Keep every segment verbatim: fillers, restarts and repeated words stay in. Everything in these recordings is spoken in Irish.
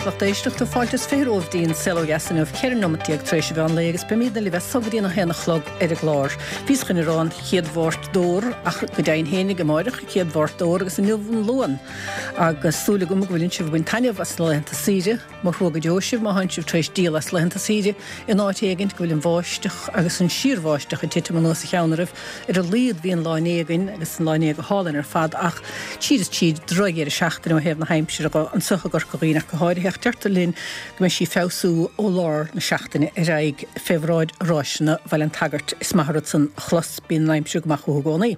Buíochas lucht éisteachta fáilte is fiche romhaibh dtí'n Saol Ó Dheas inniu ceithre nóiméad déag tar éis an mheán lae agus beimidne libh as so go dtí'n a haon a chlog ar an gclár. Bhíos chun a rá an chéad Mháirt d'Fhómhar ach go deimhin fhéinig amáireach an chéad Mháirt d'Fhómhar agus inniu an Luan. Agus súil agam go bhfuil sibh ag baint taitneamh as na laethanta saoire, mo thrua go deo sibh má thánn sibh tar éis díol as laethanta saoire in áit éigint go bhfuil an bháisteach agus an síorbháisteach ag titim anuas a cheann oraibh. Ar a laghad bhí an lá inné againn agus an lá inné go hálainn ar fad ach tríd is tríd drochdheireadh seachtaine ó thaobh na haimsire dhe anseo i gCorca Dhuibhne ach go háirithe ach deirtear linn go mbeidh sí ag feabhsú ó lár na seachtaine ar aghaidh fé bhráid Ráiseanna Bhaile an tSagairt. Is maith an rud san a chlos, bíonn an aimsir go maith chucu i gcónaí.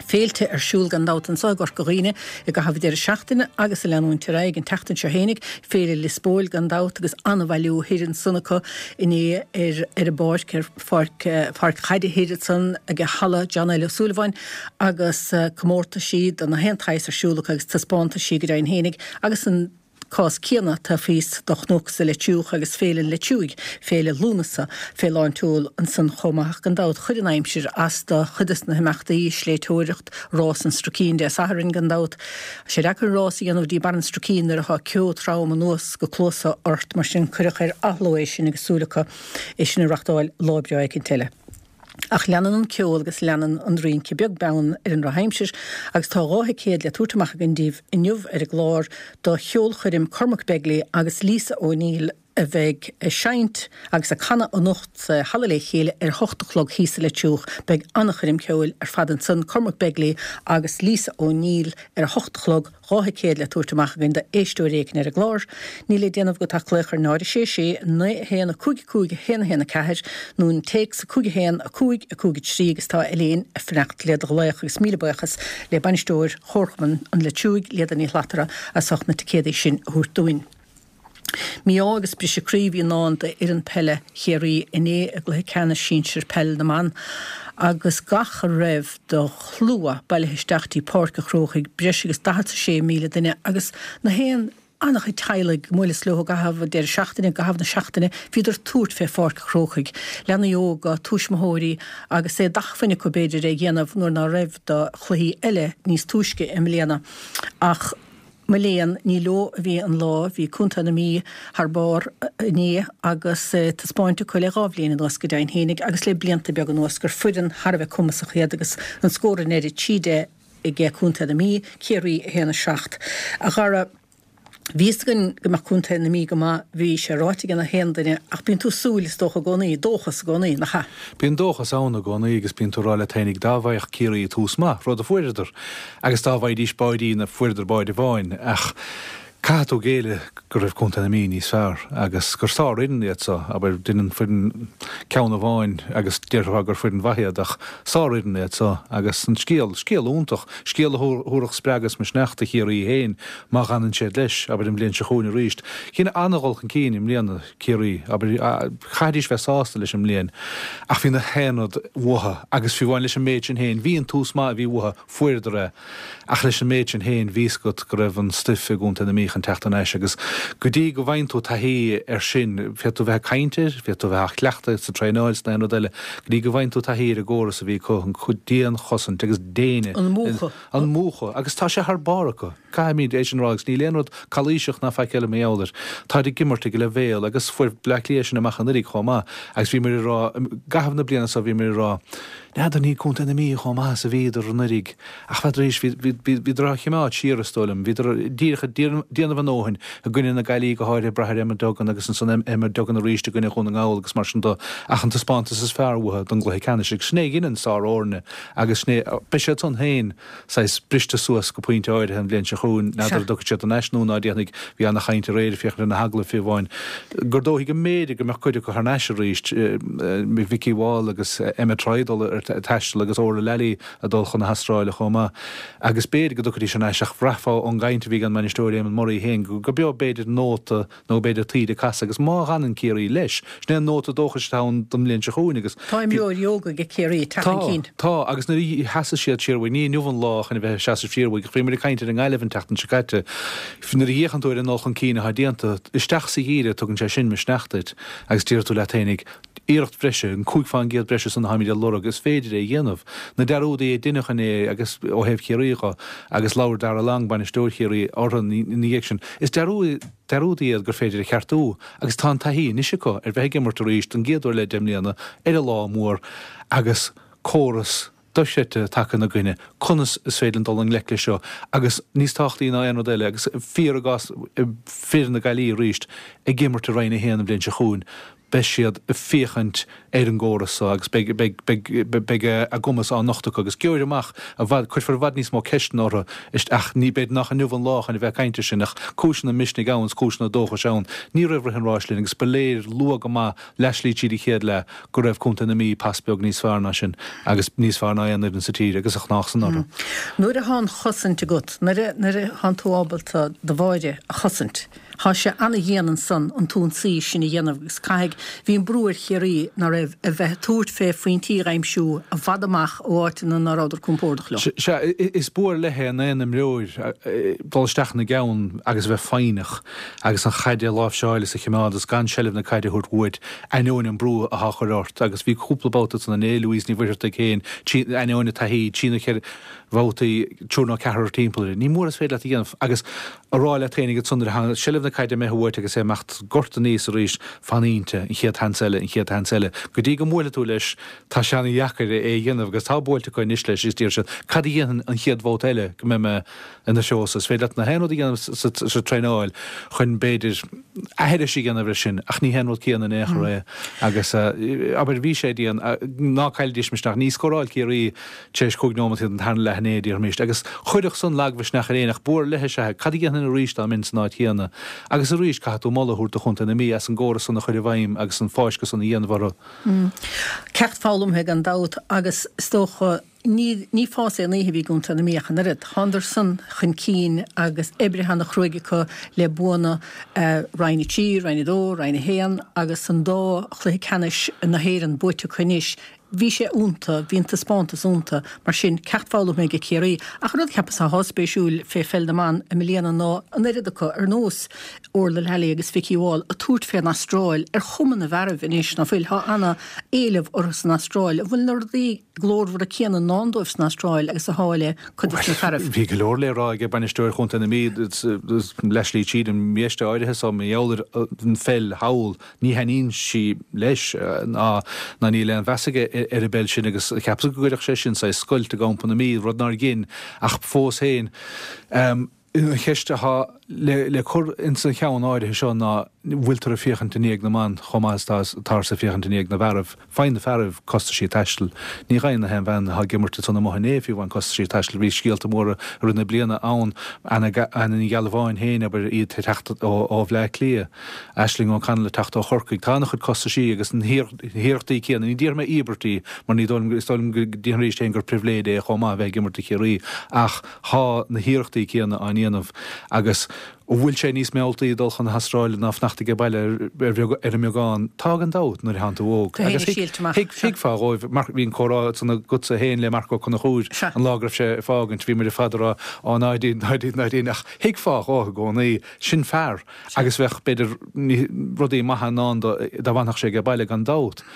Féilte ar siúl gan dabht anseo i gCorca Dhuibhne i gcaitheamh deireadh seachtaine agus ag leanúint ar aghaidh an tseachtain seo fhéinig, Féile Lios Póil gan dabht agus an-bhailiú thoir ansan acu inné ar ar an bpáirc, ar pháirc pháirc chaide thoir ansan ag Halla John L. Ó Súilleabháin agus comórtaisí de na haon tsaghas ar siúl acu agus taispeántaisí go deimhin fhéinig agus an cás céanna taobh thíos do Chnoc sa Leitriúch agus Féile an Leitriúigh, Féile Lúnasa, fé lán tseoil ansan chomh maith. Ach gan dabht chuir an aimsir as do chuid des na himeachtaí, sléibhteoireacht, Rás an Struicín Dé Sathairn gan dabht. Tá sé deacair rás a dhéanamh dtí Barr an Struicín nuair atá ceo trom anuas go cluasa ort, mar sin cuireadh ar athló é sin agus súil acu é sin a reachtáil lá breá éicint eile. Ach leanann an ceol agus leanann an rince beag beann ar an ndrochaimsir agus tá dhá thicéad le tabhairt amach againn daoibh inniu ar an gclár do cheolchoirm Cormac Begley agus Lisa O'Neill a bheidh ag seinnt agus ag canadh anocht sa Halla Le Chéile ar a hocht a chlog thíos sa Leitriúch. Beidh an-choirm ceoil ar fad ansan, Cormac Begley agus Lisa O'Neill ar a hocht a chlog. Dhá thicéad le tabhairt amach againn d'éisteoir éigin ar an gclár. Níl le déanamh agat ach glaoch ar náid a sé sé, naoi a haon, a cúig a cúig, a haon a haon a ceathair nó an téacs a cúig a haon, a cúig, a cúig a trí agus tá Elaine ag fanacht le do ghlaoch agus míle buíochas le bainisteoir Chomharchumann an Leitriúigh, Liada Ní Shlatara, as ucht na ticéadaí sin a thabhairt dúinn. Mí-ádh agus briseadh croí a bhí i ndán d'fhoireann peile Chiarraí inné i gcluiche ceannais sinsir peil na mban agus gach a raibh de shlua bailithe isteach dtí Páirc an Chrócaigh, breis agus daichead 's a sé míle duine agus na haon an-chuid teaghlaigh ag mbuaileas leo i gcaitheamh an deireadh seachtaine, i gcaitheamh na seachtaine, bhíodar ag tabhairt fé Pháirc an Chrócaigh, leanaí óga, tuismitheoirí agus é d'acmhainn acu b'fhéidir é a dhéanamh nuair ná raibh do chluichí eile níos túisce i mbliana ach Mo léan, ní leo a bhí an lá, bhí Contae na Mí thar barr inné agus taispeáint acu le dhá bhliain anuas go deimhin fhéinig agus le blianta beaga anuas gur foireann thar a bheith cumasach iad agus an scór i ndeireadh trí deich ag Contae na Mí, Ciarraí a haon a seacht. A Dhara, bhí fhios againn go mbeadh Contae na Mí go maith, bhí sé ráite ag na haon duine ach bíonn tú ag súil is dócha i gcónaí, dóchas i gcónaí, nach ea? Bíonn dóchas ann i gcónaí agus bíonn tú ag rá leat fhéinig dá bhfaigheadh Ciarraí tús maith, rud a fuaireadar, agus dá bhfaighidís báidín, fuaireadar báide amháin, ach caithfidh tú géilleadh go raibh Contae na Mí níos fearr agus gur sárfhoireann iad so, abair, dhein an foireann ceann amháin agus déarfá gur foireann mhaith iad ach sárfhoireann iad so agus an scéal, scéal iontach, scéal a thabharfadh spreagadh is misneach do Chiarraí féin má dh'fhanann siad leis, abair, an bhliain seo chugainn arís. Dhein an-dhul chun cinn i mbliana. Ciarraí, abair, chaithfidís bheith sásta leis an mbliain ach bhí na haon rud uathu agus fiú amháin leis an méid sin féin, bhí an tús maith a bhí uathu, fuaireadar é ach leis an méid sin féin bhí 'fhios agat go raibh an stuif i gContae na Mí chun teacht thar n-ais agus go dtí go bhfaigheann tú taithí air sin, féadfaidh tú bheith ag caint air, féadfaidh tú bheith á chleachtadh sa traenáil is na haon rud eile, go dtí go bhfaigheann tú taithí ar an gcóras a bhí acu, an dianchosaint agus déine. An múchadh. An múchadh agus tá sé thar barr acu. Caithfimid é sin a rá agus níl aon rud calaoiseach ná faic eile mar gheall air. Táid ag imirt ag leibhéal agus fuair Bleá Cliath sin amach anuraidh chomh maith agus bhíomar ag rá, i gcaitheamh na bliana seo bhíomar ag rá, n'fheadar níl Contae na Mí chomh maith is a bhíodar anuraidh ach n'fheadar arís, bhí, bhí, bhíodar á choimeád siar is dóigh liom, bhíodar díreach ag déanamh a ndóthain i gcoinne na Gaillimhe go háirithe ag brath ar Emma Duggan agus ansan Emma Duggan arís i gcoinne Dhún na nGall agus mar sin de ach an taispeántas is fearr uathu don gcluiche ceannais agus sin é a dheineann sárfhoirne agus sin é, beidh siad san féin saghas briste suas go pointe áirithe an bhliain seo chugainn, n'fheadar an dtiocfaidh siad thar n-ais nó ná déanfaidh, bhí ana-chaint aréir ag féachaint ar na hagallaimh fiú amháin, gur dóichí go mb'fhéidir go mbeadh cuid acu thar n-ais arís, Vikki Wall agus Emma Troy ag dul ar taisteal agus Orla Lally ag dul chun na hAstráile chomh maith agus b'fhéidir go dtiocfaidís thar n-ais ach bhraithfeá ón gcaint a bhí ag an mbainisteoir Éamonn Murray féin go beo b'fhéidir nóta nó b'fhéidir taoide casadh agus má dh'fhanann Ciarraí leis, sin é an nóta dóchais atá ann don mbliain seo chugainn agus. Tá imreoirí óga ag Ciarraí ag teacht chun cinn. Tá, tá, agus nuair a sheasas siad siar uaidh, ní inniu an lá chun a bheith ag seasamh siar uaidh, ach bhíomar ag caint ar an nGaillimh an tseachtain seo caite, nuair a fhéachann tú ar an dul chun cinn atá déanta, isteach sa gheimhreadh tugann sé sin misneach duit agus déarfaidh tú leat fhéinig, iarracht bhreise, an cúig fán gcéad breise san atáimid ag lorg, is féidir. féidir é a dhéanamh. Na dearúdaí a deineadh inné agus ó thaobh Chiarraí dho agus labhair Darragh Long, bainisteoir Chiarraí, orthu ina dhiaidh sin. Is dearúdaí iad gur féidir a cheartú agus tá an taithí anois acu ar bheith ag imirt arís don gcéad uair le deich mbliana ar an lá mór agus córas dochreidte tagtha ina gcoinne, conas is féidir linn dul i ngleic leis seo agus níos tábhachtaí ná aon rud eile, agus fíor i gcás fir na Gaillimhe arís ag imirt i Roinn a haon an bhliain seo chugainn, beidh siad ag féachaint ar an gcóras seo agus beidh, beidh, beidh, beidh a gcumas á nochtadh acu agus gheobhair amach i bhfad, cuirfear i bhfad níos mó ceisteanna orthu ach ní, b'fhéidir nach inniu an lá chun a bheith ag caint air sin ach cúiseanna misnigh ann is cúiseanna dóchais ann. Ní raibh rith an ráis linn agus ba léir luath go maith leathshlí tríd an chéad leath go raibh contae na Mí pas beag níos fearr ná sin agus níos fearr ná aon fhoireann sa tír agus a ghnách san orthu. Nuair atá an chosaint agat, nuair a nuair atánn tú ábalta do bháire a chosaint, thá sé ana-dhian ansan an t-ionsaí sin a dhéanamh agus caithfidh, bhí an brú ar Chiarraí ná raibh, a bheith ag tabhairt fé phointí a aimsiú i bhfad amach ó áiteanna ná rabhadar compordach leo. Sea, is bua ar leith é in aon imreoir dul isteach ina gceann agus a bheith foighneach agus an chaid a láimhseáil is a choimeád agus gan seilbh na caide a thabhairt uait ainneoin an brú athá á chur ort agus bhí cúpla babhta ansan inné, Louise Ní Mhuircheartaigh féin, ainneoin a taithí, trí nó ceithre bhabhtaí, triúr nó ceathrar timpeall uirthi. Ní mór is féidir leat a dhéanamh agus a rá leat féinig ansan nuair atá seilbh na caide imithe uait agus é ag imeacht gorta aníos arís, fan inti, an chéad sheans eile, an chéad sheans eile, go dtí go mbuailfidh tú leis, tá sé ana-dheacair é a dhéanamh agus tá buailte acu anois leis is deir siad, cad a dhéanfainn an chéad bhabhta eile go mbeidh mé ina threo-sa? Is féidir leat na haon rud a dhéanamh sa traenáil chun b'fhéidir aithris a dhéanamh air sin ach ní hé an rud céanna in aon chor é agus abair bhí sé dian, ná caillidís misneach, ní scóráil Ciarraí tar éis cúig nóiméad den tarna leath inné, déarfaimis, agus chuirfeadh san lagmhisneach ar éinne ach bua ar leith is ea é, cad a dhéanfainn arís dá mbeinn san áit chéanna? Agus arís caithfidh tú moladh a thabhairt do chontae na Mí as an gcóras san a chur i bhfeidhm agus an fáisceadh san a dhéanamh orthu. Ceacht foghlamtha gan dabht agus is dócha ní ní fás aon oíche a bhí i gContae na Mí ach an oiread. Thánadar san chun cinn agus oibrithe ana chruaidh acu le buanna Roinn a trí, Roinn a dó, Roinn a haon agus an dá chluiche ceannais na hÉireann buaite acu anois. Bhí sé iontu, bhí an taispeántas iontu. Mar sin, ceacht foghlamtha ag Ciarraí. Ach an rud a cheapas atá spéisiúil fé pheil na mban i mbliana ná an oiread acu, ar nós Orla Lally agus Vikki Wall, ag tabhairt fén Astráil ar chuma na bhfearaibh anois, ná fuil? Tá ana éileamh orthu san Astráil. An bhfuil na rudaí glórmhara céanna i ndán dóibh san Astráil agus athá le cuid de na fearaibh? Bhí go leor le rá ag bainisteoir chontae na Mí leathshlí tríd an mbiaiste áirithe so mar gheall ar an pheil thall. Ní thaitníonn sí leis ná ná níl aon mheas aige ar an bpeil sin agus cheapas go gcuirfeadh sé sin saghas scoilt i gcampa na Mí, rud nár dhein ach fós féin an cheist atá le le cur ins an cheann áirithe seo ná bhfuiltear ag féachaint i ndiaidh na mban chomh maith is atáthar ag féachaint i ndiaidh na bhfearaibh. Faigheann na fearaibh costaisí taistil. Ní fhaigheann na haon bhean atá ag imirt ansan amuigh inné fiú amháin costaisí taistil. Bhí scéalta móra i rith na bliana ann, Anna Anna Ní Ghealbháin féin, abair, í ag teacht ó ó Bhleá Cliath. Aisling O'Connell ag teacht ó Chorcaigh. Tá an-chuid costaisí agus na hiarrachtaí céanna, ní déarfaidh mé íobairtí mar ní dóigh liom, is dóigh liom go déarfainn arís féin gur pribhléid é chomh maith a bheith ag imirt do Chiarraí ach tá na hiarrachtaí céanna á ndéanamh agus an bhfuil sé níos mealltaí dul chun na hAstráile ná fanacht age baile ar an mbeagán? Tá gan dabht nuair a thánn tú óg. Agus thuigfeá dhóibh, bhí an comhrá ansan agatsa féin le Marc Ó Conchúir an lá go raibh sé ag fágaint, bhí muid ar fad ag rá á ná déan, ná déan, ná déan ach thuigfeá dhó i gcónaí, sin fear. Agus bheadh, b'fhéidir, rudaí maithe i ndán dó dá bhfanfadh sé age baile gan dabht.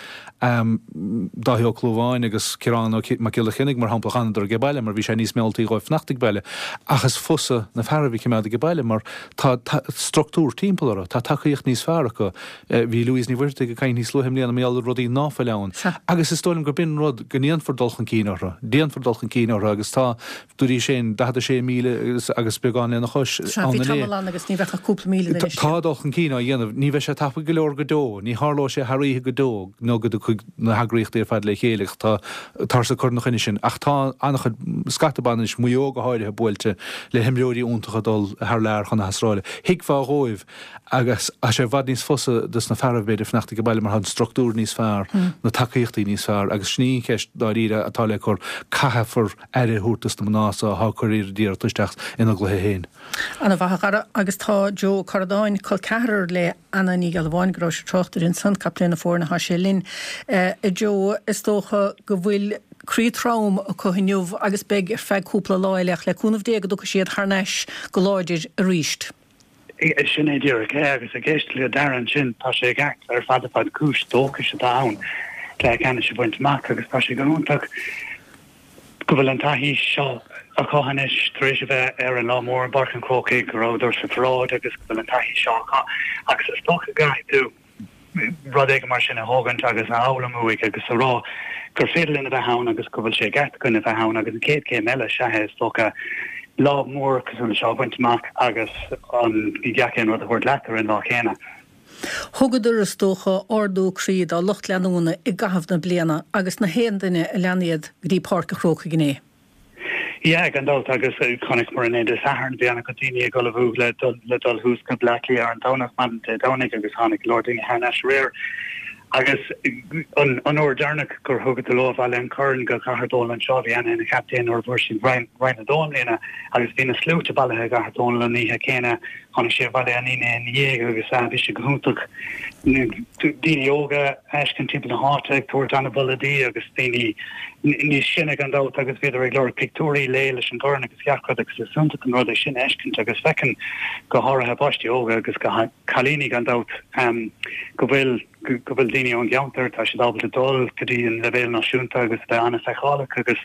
Dáithí Ó Clúmháin agus Ciarán Ó Mac Giolla Chainnigh, mar shampla, d'fhanadar age baile mar bhí sé níos mealltaí dhóibh fanacht ag baile. Ach is fusa na fearaibh a chimeád age baile mar tá structúr timpeall orthu, tá tacaíocht níos fearr acu. Bhí Louise Ní Mhuircheartaigh ag caint níos luaithe i mbliana mar gheall ar rudaí ná fuil ann. Agus is dóigh liom gurb in rud go ndéanfar dul chun cinn orthu. Déanfar dul chun cinn orthu agus tá, Dúraís féin, daichead a sé míle agus beagán lena chois Sea, bhí tamall ann agus ní bheadh ach cúpla míle duine istigh. Tá dul chun cinn á dhéanamh. Ní bheidh sé tapaidh go leor go deo. Ní tharlóidh sé thar oíche go deo nó go dtiocfaidh na heagraíochtaí ar fad le chéile ach tá táthar ag cur ina choinne sin. Ach tá an-chuid, scata ban anois, Maigh Eo go háirithe, buailte le himreoirí iontacha ag dul thar lear chun na hAstráile. Thuigfeá dhóibh Agus tá sé i bhfad níos fusa dos na fearaibh, b'fhéidir, fanacht age baile mar tá an structúr níos fearr, na tacaíochtaí níos fearr agus sin í an cheist dáiríre atá le cur, caithfear aire a thabhairt dos na mná so atá ag cur oiread iarrachta isteach ina gcluiche féin. Ana mhaith a Dhara, agus tá Joe Ó Corradáin, col ceathrar le Anna Ní Ghealbháin, go raibh sé tráchtaire ansan, captaen na foirne, thá sé linn. A Joe, is dócha go bhfuil croí trom acu inniu agus beidh ar feadh cúpla lá eile ach le cúnamh Dé go dtiocfaidh siad thar n-ais go láidir aríst. Sin é díreach é, agus ag éisteacht le Darragh ansin, tá sé i gceart ar fad ar fad, cúis dóchais atá ann. cluiche ceannais a bhaint amach agus tá sé go hiontach go bhfuil an taithí seo acu anois tar éis a bheith ar an lá mór i bPáirc an Chrócaigh go rabhadar sa pharáid agus go bhfuil an taithí seo acu agus is dócha go gcaithfidh tú rud éigin mar sin a thógaint agus a fhoghlaim uaidh agus a rá gur féidir linn a bheith ann agus go bhfuil sé i gceart againn a bheith ann agus an chéad chéim eile is ea é is dócha lá mór cosúil leis seo a bhaint amach agus an gach aon rud a thabhairt leat ar an lá céanna. Thugadar, is dócha, ardú croí dá lucht leanúna i gcaitheamh na bliana agus na haon duine a lean iad go dtí Páirc an Chrócaigh inné. Yeah, gan dabht agus chonaiceamar inné Dé Sathairn, bhí an-chuid daoine ag ullmhú le dul le dul thuas go Bleá Cliath ar an Domhnach, maidin Dé Domhnaigh agus tháinig go leor daoine thar n-ais aréir. Agus an an uair deireanach gur thugadar leo abhaile an corn go Cathair Dónall anseo, bhí Anna ina captaen nuair a fuair siad Roinn Roinn a Dó i mbliana agus bhí na sluaite bailithe i gCathair Dónall an oíche chéanna. Tháinig sé abhaile an Aoine ina dhiaidh agus bhí sé go hiontach daoine óga a fheiscint timpeall na háite ag tabhairt an-mholadh di agus daoine níos sine gan dabht agus bhíodar ag lorg pictiúirí léi leis an gcorn agus gach rud agus is iontach an rud é sin a fheiscint agus feiceann go háirithe páistí óga agus cailíní gan dabht go bhfuil go bhfuil daoine ón gceantar, tá siad ábalta dul go dtí an leibhéal náisiúnta agus a bheith an-fheiceálach agus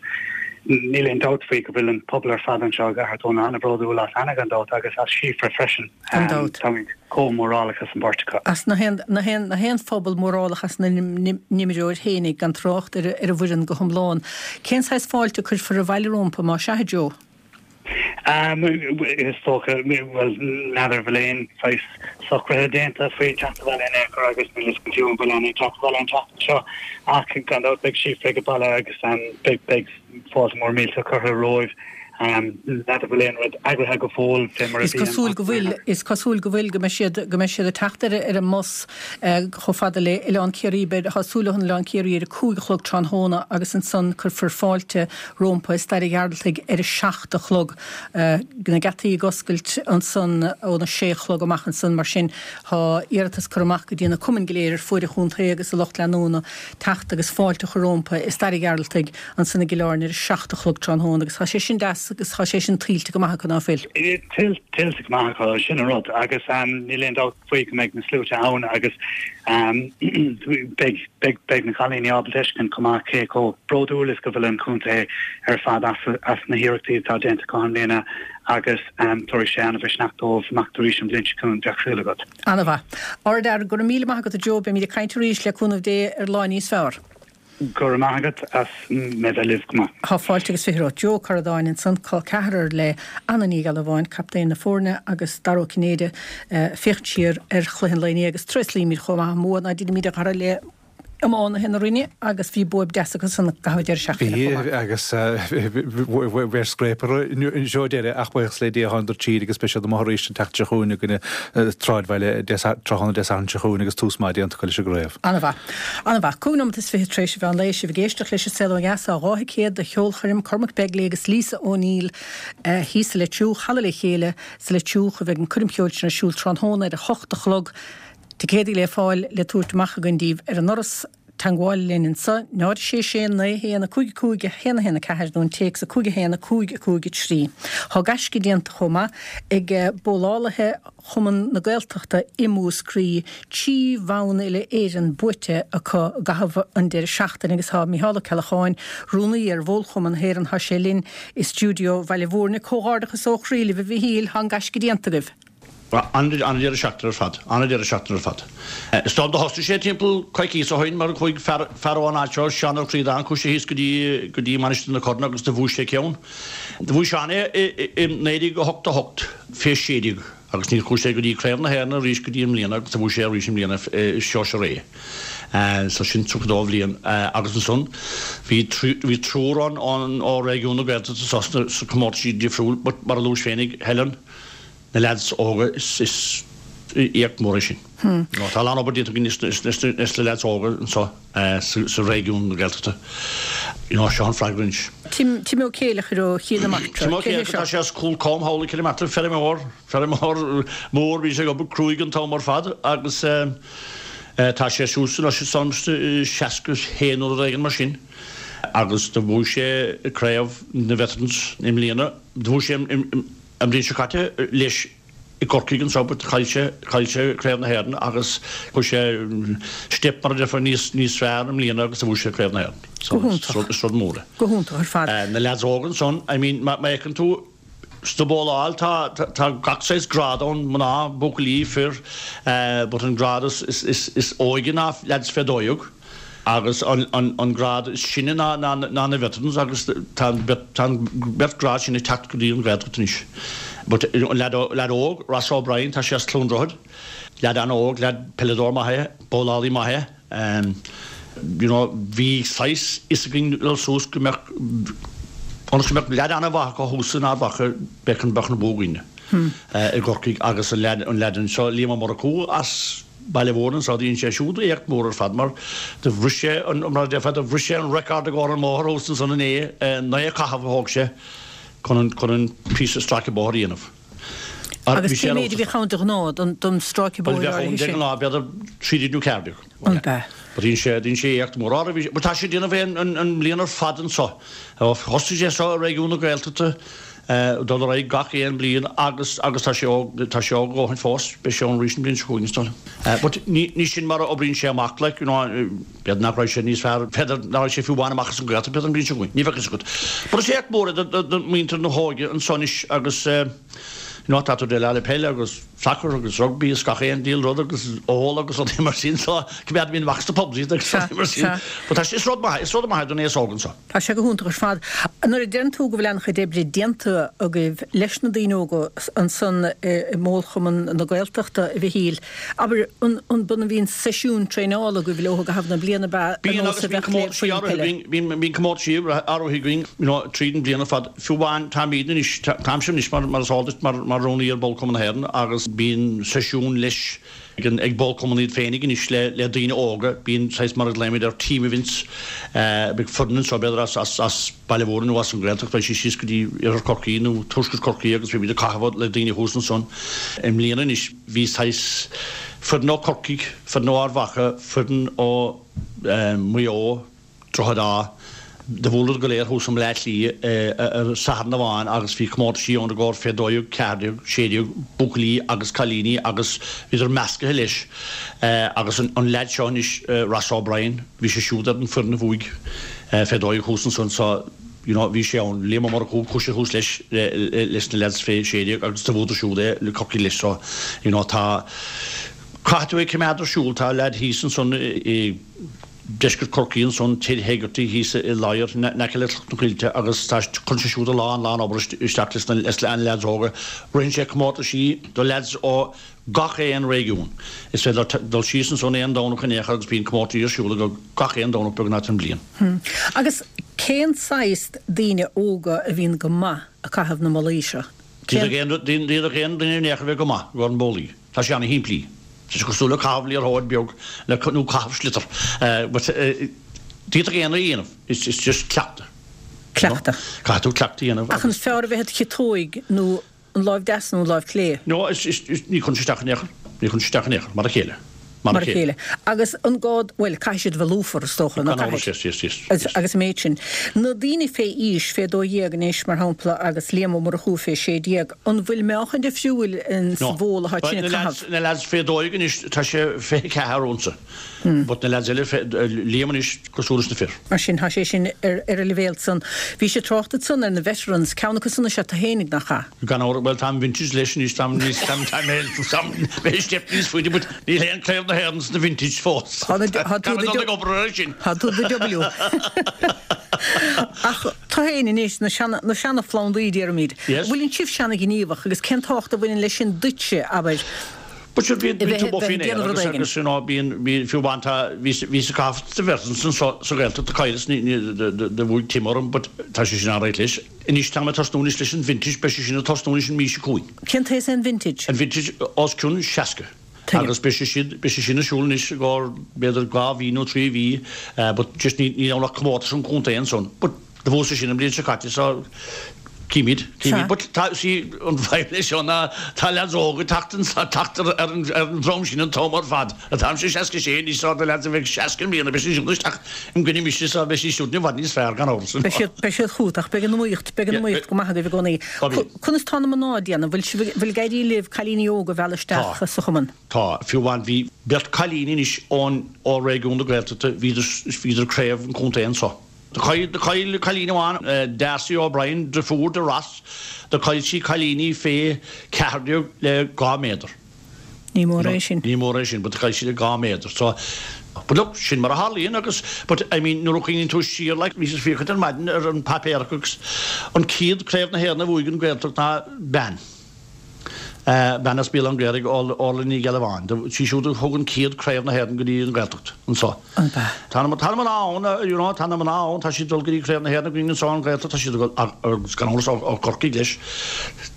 níl aon dabht faoi go bhfuil an pobal ar fad anseo i gCathair Dónall an-bhródúil as Anna gan dabht agus as Síofra freisin. Gan dabht. Táimid chomh mórálach as an bpáirt acu. As na haon, na haon, na haon phobal mórálach as na n-imreoir fhéinig, gan trácht ar, ar an bhfoireann go hiomlán. Cén saghas fáilte a cuirfear abhaile rompu, má sea, a Joe? Is dócha, bhuel, n'fheadar an bhfuil aon saghas socruithe déanta faoi teacht abhaile in aon chor agus níl a fhios agam fiú an bhfuil Anna ag teacht abhaile an tseachtain seo ach gan dabht beidh Síofra ag baile agus beidh beidh fáilte mór mílte curtha romhaibh. N'fheadar an bhfuil aon rud eagraithe go fóill fé mar a Is bhíonn cosúil go bhfuil, is cosúil go bhfuil, go mbeidh siad, go mbeidh siad ag teacht ar ar an mbus chomh fada le Oileán Ciarraí, beidh, tá súil leo in Oileán Ciarraí ar a cúig a chlog tráthnóna agus ansan cuirfear fáilte rómpa i Staid an Ghearaltaigh ar a seacht a chlog. Na geataí ag oscailt ansan óna sé a chlog amach ansan mar sin tá iarratas curtha amach go dtí na cumainn go léir ar fuaid an chontae agus a lucht leanúna teacht agus fáilte a chur rómpa i Staid an Ghearaltaigh ansan i gCill Airne ar a seacht a chlog tráthnóna agus tá sé sin deas agus tá sé sin tuillte go maith acu ná fuil? Tuillte go maith acu, sin an rud agus níl aon dabht faoi go mbeidh na sluaite ann agus beidh beidh na cailíní ábalta a fheiscint chomh maith cé chomh bródúil is go bhfuil an contae ar fad as as na hiarrachtaí atá déanta acu i mbliana agus tabharfaidh sé an-mhisneach dóibh imeacht arís an bhliain seo chugainn, bheadh súil agat. An-mhaith. Ardfhear, go raibh míle maith agat a Joe, beimid ag caint arís le cúnamh Dé ar lá níos fearr. Go raibh maith agat as mé bheith libh go maith. Tá fáilte agus fiche romhat. Joe Ó Curradáin ansan, col ceathrar le Anna Ní Ghealbháin, captaen na foirne agus Dara Ó Cinnéide ag féachaint siar ar chluiche an lae inné agus tréaslaímid chomh maith an bua ná deinimid a dhara le iománaithe na Rinne agus bhí bua deas acu san i gcaitheamh an deireadh seachtaine Bhí chomh maith. agus bhí ar scréip orthu anseo deireadh ach buíochas le Dia thánadar tríd agus beidh siad amuigh arís an tseachtain seo chugainn i gcoinne Sráidbhaile tráthnóna Dé Sathairn seo chugainn agus tús maith déanta acu leis an gcraobh. An-mhaith. An-mhaith. Cúig nóiméad is fiche tar éis an mheán lae, sibh ag éisteacht leis An Saol Ó Dheas, tá dhá thicéad do cheolchoirm Cormac Begley agus Lisa O'Neill thíos sa Leitriúch, Halla Le Chéile sa Leitriúch a bheidh an coirm cheoil sin ar siúl tráthnóna ar a hocht a chlog. Ticéadaí le fáil le tabhairt amach againn daoibh ar an ndoras. Teangmháil linn anseo, náid a sé sé naoi a haon a cúig a cúig a haon a haon a ceathair nó an téacs a cúig a haon a cúig a cúig a trí. Tá gaisce déanta chomh maith ag bowlálaithe Chumann na Gaeltachta i Múscraí, trí bhonn uile Éireann buaite acu i gcaitheamh an deireadh seachtaine agus tá Micheál Ó Ceallacháin, Rúnaí ar Bhólchumann na hÉireann, tá sé linn i stiúideo Bhaile Mhúirne. Comhghairdeachas ó chroí libh a Mhichíl, tá an gaisce déanta agaibh. An-deireadh seachtaine ar fad, an-deireadh seachtaine ar fad. Is dóigh liom do thosaigh sé timpeall coicíos ó shoin mar chuaigh fear, fear ón áit seo, Seán Ó Críodáin, chuaigh sé thíos go dtí, go dtí Mainistir na Corann agus do bhuaigh sé ceann. Do bhuaigh Seán é i, i naoi déag a hocht a hocht fé sé déag agus níor chuaigh sé go dtí Craobh na hÉireann arís go dtí i mbliana agus do bhuaigh sé arís i mbliana sóisear A. So sin tríocha dó bhliain agus ansan bhí trí, bhí triúr ann ón, ó réigiún na Gaeltachta sa, sna comórtaisí difriúil but mar a luais féinig, Helen, Na leaids óga, is éacht mór é sin. Tá a lán obair déanta againn leis na leaids óga anseo sa réigiún na Gaeltachta. Seo an freagra anois. Tim Tim Ó Céileachair ó Chill na Martra. Tim Ó Céileachair, tá sé as Cúl Com thall i gCill na Martra, feirmeoir, feirmeoir mór, bhí sé ag obair cruaidh an t-am ar fad agus tá sé suas anois is ann seasca haon nó rud éigin mar sin agus do bhuaigh sé craobh na Veterans i mbliana, do bhuaigh sé An bhliain seo caite leis i gCorcaigh anseo but chaill sé chaill sé Craobh na hÉireann agus chuir sé step mar a déarfá níos níos fearr i mbliana agus bhuaigh sé Craobh na hÉireann. Go hiontach. Is rud mór é. Go hiontach ar fad. Na leaids óga ansan, I mean má má fheiceann tú sa bhóláil tá tá gach saghas grád ann, mná, buachaillí, fir, but an grád is is is is óige ná leaids fé dó dhéag. Agus an grád is sine ná na veterans agus tá an beirt grád sin ag teacht go dtí an Ghaeltacht anois. But an leaid óg, Ross O'Brien, tá sé as Cluain Droichead, leaid an-óg, leaid peileadóir maith é, bowlálaí maith é. You know, bhí saghas fhios againn dul suas go mbeadh, ionas go mbeadh leaid an-mhaith acu thuas in Ard Mhacha, bheadh an bua againne i gCorcaigh agus an leaid anseo, Liam Ó Murchú as Baile Mhúirne anseo, dhein sé siúd éacht mór ar fad mar do bhris sé an, mar a déarfá, do bhris sé an record i gcomhair an mbóthar thuas ansan inné, naoi caitheamh a thóg sé chun an, chun an píosa stráice bóthair a dhéanamh. Agus cé méid a bhíodh ann de ghnáth don, don stráice Bhuel bóthair bheadh ann áirithe de sin? ghnáth b'fhéidir trí déag nó ceathair déag. An b'ea? But dhein sé, dhein sé éacht mór. Ara bhí sé, but tá sé ag déanamh é an, an, an mbliain ar fad anso. Thosaigh sé seo i réigiún na Gaeltachta. dul ar aghaidh gach aon bliain agus agus tá sé óg tá sé óg a dhóthain fós, beidh sé ann arís an bhliain seo chugainn is dóigh liom. But ní ní sin mar a oibríonn sé amach like you know b'fhéidir nach raibh sé níos fearr b'fhéidir nach raibh sé fiú amháin amach as an Ghaeltacht b'fhéidir an bhliain seo chugainn, ní bheadh fhios agat. But is éacht mór é do do do mhuintir na hóige anso anois agus you know tá tú ag déileáil le peil agus sacar agus rugbaí is gach aon diabhal rud agus ól agus rudaí mar sin so coimeádaimid amach as na pubs iad agus rudaí mar sin. But tá sé is rud maith is rud maith é don aos óg anso. Tá sé go hiontach ar fad. Nuair a deireann tú go bhfuil an-chuid oibre déanta agaibh leis na daoine óga ansan i mBólchumann na Gaeltachta, a Mhichíl, abair, an an mbíonn seisiún traenála agaibh leo i gcaitheamh na bliana, ab ea, ar Bíonn nós agus a bíonn bheadh le comórtaisí foireann áirithe peile? againn, bíonn bíonn comórtaisí áirithe againn you know tríd an bhliain ar fad. Fiú amháin táimid anois, táimse anois mar mar is eol duit mar mar rúnaí ar Bhólchumann na hÉireann agus bíonn seisiún leis ag an ag Bólchumann iad féinig anois le le daoine óga. Bíonn saghas mar a ghlaoimid ar team events. Beidh foireann anseo b'fhéidir as as as Baile Mhúirne nó as an Ghaeltacht beidh sí síos go dtí Iarthar Chorcaí nó Tuaisceart Chorcaí agus beimid ag caitheamh le daoine thuas ansan. I mbliana anois bhí saghas foireann ó Chorcaigh, foireann ó Ard Mhacha, foireann ó Mhaigh Eo, Droichead Átha. Do bhuaileadar go léir thuas i mBleá Cliath ar Satharn amháin agus bhí comórtaisí ann i gcomhair fé dó dhéag, ceathair déag, sé déag, buachaillí agus cailíní agus bhíodar meascaithe leis. Agus an leaid seo anois, Ross O'Brien, bhí sé siúd ar an foireann a bhuaigh fé dó dhéag thuas ansan so you know bhí sé ann. Liam Ó Murchú, chuaigh sé thuas leis leis na leaids fé sé déag agus do bhuadar siúd é le Corcaigh leis so you know tá, caithfidh tú é coimeád ar siúl, tá leaid thíos ansan i, deisceart Chorcaí ansan, Ted Hegarty thíos i Ladhar in aice le Cloch na Coillte agus tá cuireann sé siúd a lán lán obair isteach leis na leaids óga. Ritheann sé comórtaisí do leaids ó gach aon réigiún. Is féidir dul síos ansan aon Domhnach in aon chor agus bíonn comórtaisí ar siúl acu gach aon Domhnach beagnach den bhliain. Agus cén saghas daoine óga a bhíonn go maith ag caitheamh na mbollaí seo? D'fhéadfadh aon duine in aon chor a bheith go maith i gcomhair an bowlaí. Tá sé ana-shimplí. Tá sé cosúil le caitheamh liathróid beag le nó caitheamh sliotar. But d'fhéadfadh aon duine a dhéanamh. It's it's just cleachtadh. Cleachtadh. Caithfidh tú cleachtadh a dhéanamh Ach an fearr a bheith id chiotóig nó an láimh deas nó an láimh chlé? No, is is is ní chuireann sé isteach in aon chor. Ní chuireann sé isteach in aon chor. Mar a chéile. Mar a chéile. Agus an gá, bhuel, caithfidh siad a bheith lúfar, is dócha, nó Gan amhras, caithfidh? yes, yes, yes, yes. Agus an méid sin. Na daoine fé aois, fé dó dhéag anois, mar shampla, agus Liam Ó Murchú fé sé déag, an bhfuil meáchan difriúil in sa No. bhól atá But sin na ag lads, caitheamh? na lads fé dó dhéag anois, tá sé fiche ceathair unsa. But na lads eile fé, Liam anois cosúil leis na fir. Mar sin, tá sé sin ar ar an leibhéal san. Bhí sé trácht ansan ar na veterans, ceann acu san is ea tú fhéinig, nach ea? Gan amhras, bhuel táim vintage leis anois, táim níos, táim, táim, táim, mé step níos faide but níl aon Craobh na hÉireann sna vintage fós. Tá na, tá tú Táim the dul ag obair air sin. Tá tú the W. Ach tú fhéin anois, na seana, na seana-phlandaí déarfaimid. Yes. Bhfuil sibh seana-ghníomhach agus cén tábhacht a bhaineann leis sin duitse, abair, But sure bíonn, a bíonn tú bheith, both bheith faoin ag aer déanamh rud agus, éigin? agus you know bíonn, bíonn, fiú amháin tá, bhí, bhí sa caitheamh sa bheirt ansan sa, sa Ghaeltacht do chailleas, ní, ní, do, do, do bhuaigh Tim orm but tá sé sin an-réidh leis. Anois tá mé ag tosnú anois leis an vintage, beidh sé sin ag tosnú anois an mhí seo chugainn. Cén t-aos é an vintage? An vintage os cionn seasca. Tuigim. Agus beidh sé siad, beidh sé sin ar siúl anois i gcomhair b'fhéidir dhá mhí nó trí mhí but just ní, níl ann ach comórtas an chontae ansan. But do bhuas sé sin an bhliain seo caite so Címid, címid. But tá sí an fadhb leis seo ná tá leaids óga ag teacht an teacht ar ar an ar an drom sin an t-am ar fad. Táimse seasca sé anois so na leaids a bheidh seasca i mbliana beidh siad siúd isteach im gcoinne mise so beidh siad siúd i bhfad níos fearr gan amhras. Beidh siad beidh siad chugat ach beidh an iomaíocht beidh an iomaíocht go maith agaibh i gcónaí. Conas tá na mná ag déanamh? Bhfuil sibh bhfuil ag éirí libh cailíní óga a mhealladh isteach Tá. sa chumann? Tá. Fiú amháin bhí beirt cailíní anois ón ó réigiún na Gaeltachta bhíodar bhíodar craobh an chontae anso. Do chaill cailín amháin, Darcy O'Brien, deirfiúr do Ross, do chaill sí cailíní fé ceathair déag le dhá méadar. Ní mór é sin. Ní mór é sin, but do chaill sí le dhá méadar. So, but look, sin mar a tharlaíonn agus, but I mean, nuair a chuimhníonn tú siar, like, bhíos ag féachaint ar maidin ar an páipéar agus an chéad craobh na hÉireann a bhuaigh an Ghaeltacht ná bean. Bean as Béal Átha an Ghaorthaidh, Orla Ní Ghealbháin. Sí siúd a thug an chéad craobh na hÉireann go dtí an Ghaeltacht anso. Tá na tá na mná ann, you know, tá na mná ann, tá siad ag dul go dtí craobh na hÉireann againn anso an Ghaeltacht, tá siad ag dul agus gan amhras ó Chorcaigh leis.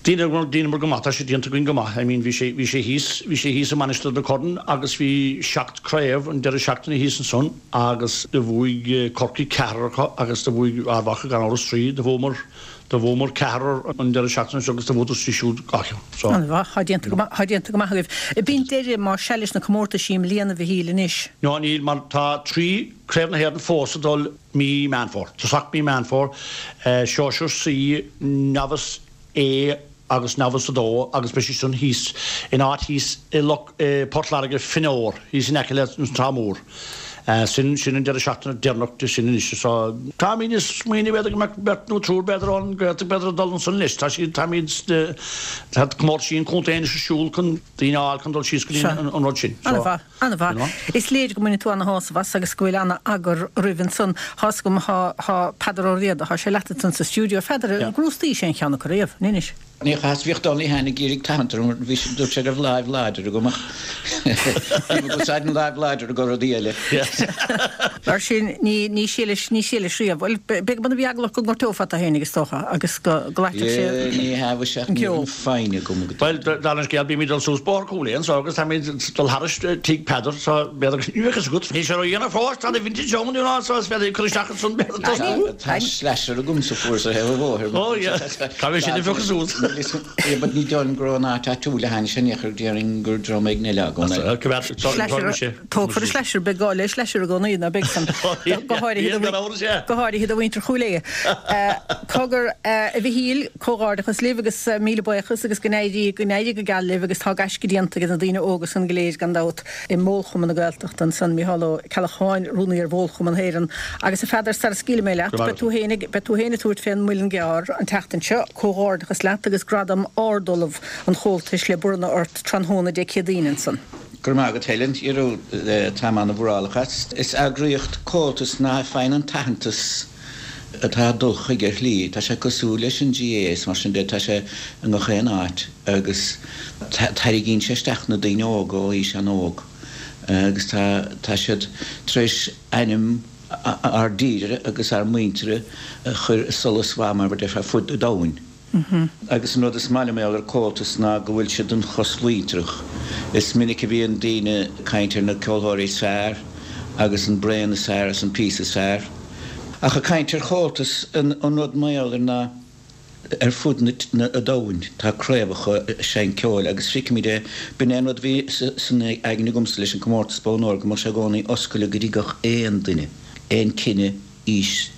Dheineamar dheineamar go maith, tá sé déanta againn go maith. I mean bhí sé bhí sé thíos bhí sé thíos i Mainistir na Corann agus bhí seacht craobh an deireadh seachtaine thíos ansan agus do bhuaigh Corcaigh ceathrar acu agus do bhuaigh Ard Mhacha gan amhras trí, do bhuamar Do bhuamar ceathrar an deireadh seachtaine seo agus do bhuadar siúd dhá cheann. So. An-mhaith. Tá déanta go maith, tá déanta go maith agaibh. Ab in deireadh más sea leis na comórtaisí i mbliana, a Mhichíl, anois? No, níl, mar tá trí Craobh na hÉireann fós ag dul mí Meán Fómhair. Tosach mí Meán Fómhair, Sóisear C, Novice A agus Novice a dó agus beidh siad sin thíos in áit thíos i Loch, i Port Láirge, Fenor, thíos in aice le an Trá Mhór. Sin, sin an deireadh seachtaine deireanach de sin anois. So, táimid ag smaoineamh b'fhéidir go mbeadh beirt nó triúr b'fhéidir ón Ghaeltacht b'fhéidir ag dul ansan leis. Tá siad, táimid, tá comórtaisí an chontae anois ar siúl chun daoine a fháil chun dul síos go dtí an, an rud sin. So, An-mhaith, an-mhaith. you know. Is léir go mbaineann tú ana-shásamh as agus go bhfuil ana-eagar roimh ansan. Tá's agam, thá, thá Peadar Ó Riada, thá sé leat ansan sa stiúideo. A Pheadair, Yeah. an gcrústaís aon cheann acu riamh, an inis? Ní chas, bhíodh Donnelly féin ag iarraidh tathant orm, bhí sé, dúirt sé go raibh láimh láidir agam ach bhí mé ag úsáid an láimh láidir do rudaí eile. Mar sin, ní, ní shílis, ní shílis riamh. Bhuel, b'fhéidir go mbeadh eagla ort go ngortófá tú féinig is dócha agus go gclaitfeadh sé Yeah, ní hea, bhí sé, an ní raibh ceol. an foighne agam go Bhuel, dála an scéil, bímid ag dul suas Bóthar Chúil Aodha anso agus táimid ag dul thairis tigh Peadar so b'fhéidir, ní bheadh fhios agat, níl sé ródhéanach fós, tá na vintage ann, you know, so is féidir cur isteach ansan b'fhéidir tosnú. Tá slasher agam sa fuar sa thaobh an bhóthair. Oh yeah, caithfidh sin a phiocadh suas. But ní dóigh liom go raibh an áit áitiúil a tháinig sé in aon chor, déarfainn gur dream éigin eile agam é. Slasher, tógfar an slasher, beidh gá le slasher i gcónaí, ná beidh san, go háirithe go háirithe do mhuintir Chúil Aodha. Cogar, a Mhichíl, comhghairdeachas libh agus míle buíochas agus go n-éirí, go n-éirí go geal libh agus tá gaisce déanta ag na daoine óga san go léir gan dabht i mBólchumann na Gaeltachta ansan, Micheál Ó Ceallacháin, Rúnaí ar Bhólchumann na hÉireann. Agus a Pheadair, sara scaoilfidh mé leat, beidh tú féin ag, beidh tú féin ag tabhairt fén Muileann gCearr an tseachtain seo. Comhghairdeachas leat agus Gradam Ard-Ollamh an Chomhaltais le bronnadh ort tráthnóna Dé Céadaoin ansan. Go raibh maith agat Helen, you know, táim ana-mhórálach as. Is eagraíocht Comhaltas ná faigheann an t-aitheantas atá ag dul chuige ar shlí. Tá sé cosúil leis an GAA is mar sin de, tá sé i ngach aon áit agus tarraingíonn sé isteach na daoine óga ó aois an-óg agus tá tá siad tar éis ainm ár dtíre agus ár muintire a chur i solas mhaith mar a déarfá ar fud an domhain. Agus an rud is maith liom ar Comhaltas ná go bhfuil siad an chosmhuintearach. Is minic a bhíonn daoine ag caint ar na ceoltóirí is fearr agus an braon is fearr is an píosa is fearr. Ach ag caint ar Chomhaltas an rud mar gheall air ná ar fud an domhain tá craobhacha ag seinnt ceoil agus feicimid é. B'in é an rud a bhí san aigne agamsa leis an comórtas Bonn Óir go mbeadh sé i gcónaí oscailte go dtí gach aon duine, aon cine, aois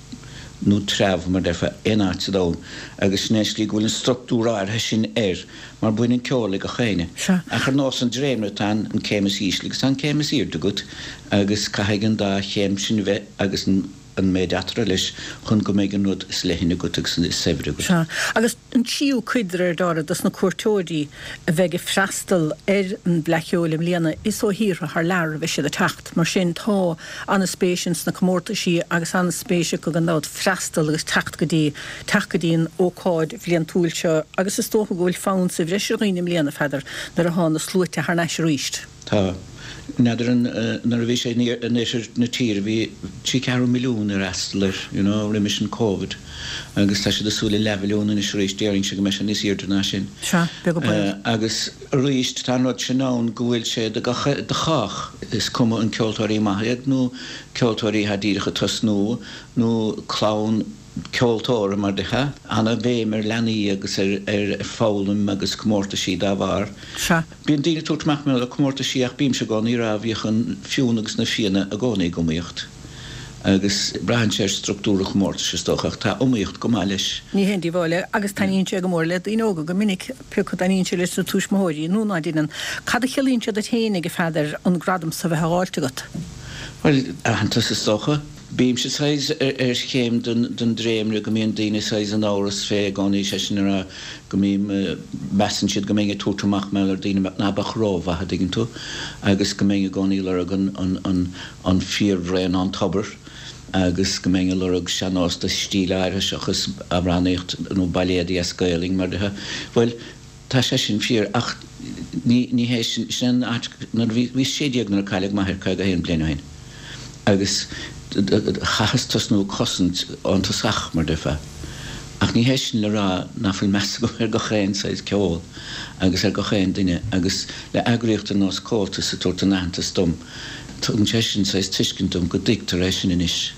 nó treabh mar déarfá, aon áit sa domhan agus sin é an slí go bhfuil an struchtúr áirithe sin air mar baineann ceol le gach éinne. Ach ar nós an dréimire tá an céim is ísle agus tá an céim is airde agat agus caithfidh an dá chéim sin a bheith agus an an méid eatarthu leis chun go mbeidh an rud is leithne agat agus is saibhre agat. Sea, agus an tríú cuid de réir dealraimh dos na cuairteoirí a bheidh ag freastal ar an bhFleadh Cheoil i mbliana, is ó thíortha thar lear a bheidh siad ag teacht. Mar sin, tá an-spéis ins na comórtaisí agus an-spéis acu gan dabht freastal agus teacht go dtí, teacht go dtí an ócáid bhliantúil seo agus is dócha go bhfuil fonn sa bhreis ar dhaoine i mbliana, a Pheadair, nuair atá na sluaite thar n-ais arís. Tá. N'fheadar an, nuair a bhí sé in oirthear na tíre bhí trí ceathrú milliún ag freastal air, you know, roimis an Covid agus tá siad ag súil le leathmhilliún anois arís, déarfainnse go mbeidh sé níos airde ná sin. Sea, beag an baol. Agus arís tá an rud sin ann go bhfuil sé do gach, do chách, is cuma an ceoltóirí maithe iad nó ceoltóirí atá díreach ag tosnú nó clann, ceoltóra mar déarfá, ana-bhéim ar leanaí agus ar ar foghlaim agus comórtaisí dá bharr. Sea. Bíonn daoine ag tabhairt amach mar gheall ar comórtaisí ach bímse i gcónaí ag rá bhíodh an Fionn agus na Fianna i gcónaí ag iomaíocht agus braitheann sé ar struchtúr an chomórtais is dócha ach tá iomaíocht go maith leis. Ní haon díobháil é agus taitníonn sé go mór le daoine óga go minic, pé acu dtaitníonn sé leis na tuismitheoirí nó ná deineann. Cad a chiallaíonn sé duit féinig, a Pheadair, an gradam so bheith á fháilt agat? Bhuel, aitheantas is dócha. Bímse saghas ar chéim den dréimire go mbíonn daoine saghas in amhras fé i gcónaí, sé sin a rá go mbím, measann siad go mbeinn ag tabhairt amach mar gheall ar daoine ná beadh rómhaith, a dtuigeann tú, agus go mbeinn i gcónaí ag lorg an fíorbhraon ón tobar agus go mbeinn ag lorg sean-nós de stíl áirithe seachas amhránaíocht nó bailéadaí as Gaelainn mar déarfá. Bhuel, Tá sé sin fíor, ach ní, ní hé sin, sin an áit, nuair a bhí, bhíos sé déag nuair a cailleadh m'athair caoga a haon bliain ó shin, agus chaitheas tosnú ag cosaint ón tosach, mar déarfá. Ach ní hé sin le rá ná fuil meas agam ar gach aon saghas ceol agus ar gach aon duine, agus le eagraíocht ar nós Comhaltas ag tabhairt an aitheantas dom, tugann sé sin saghas tuiscint dom go dtuigtear é sin anois.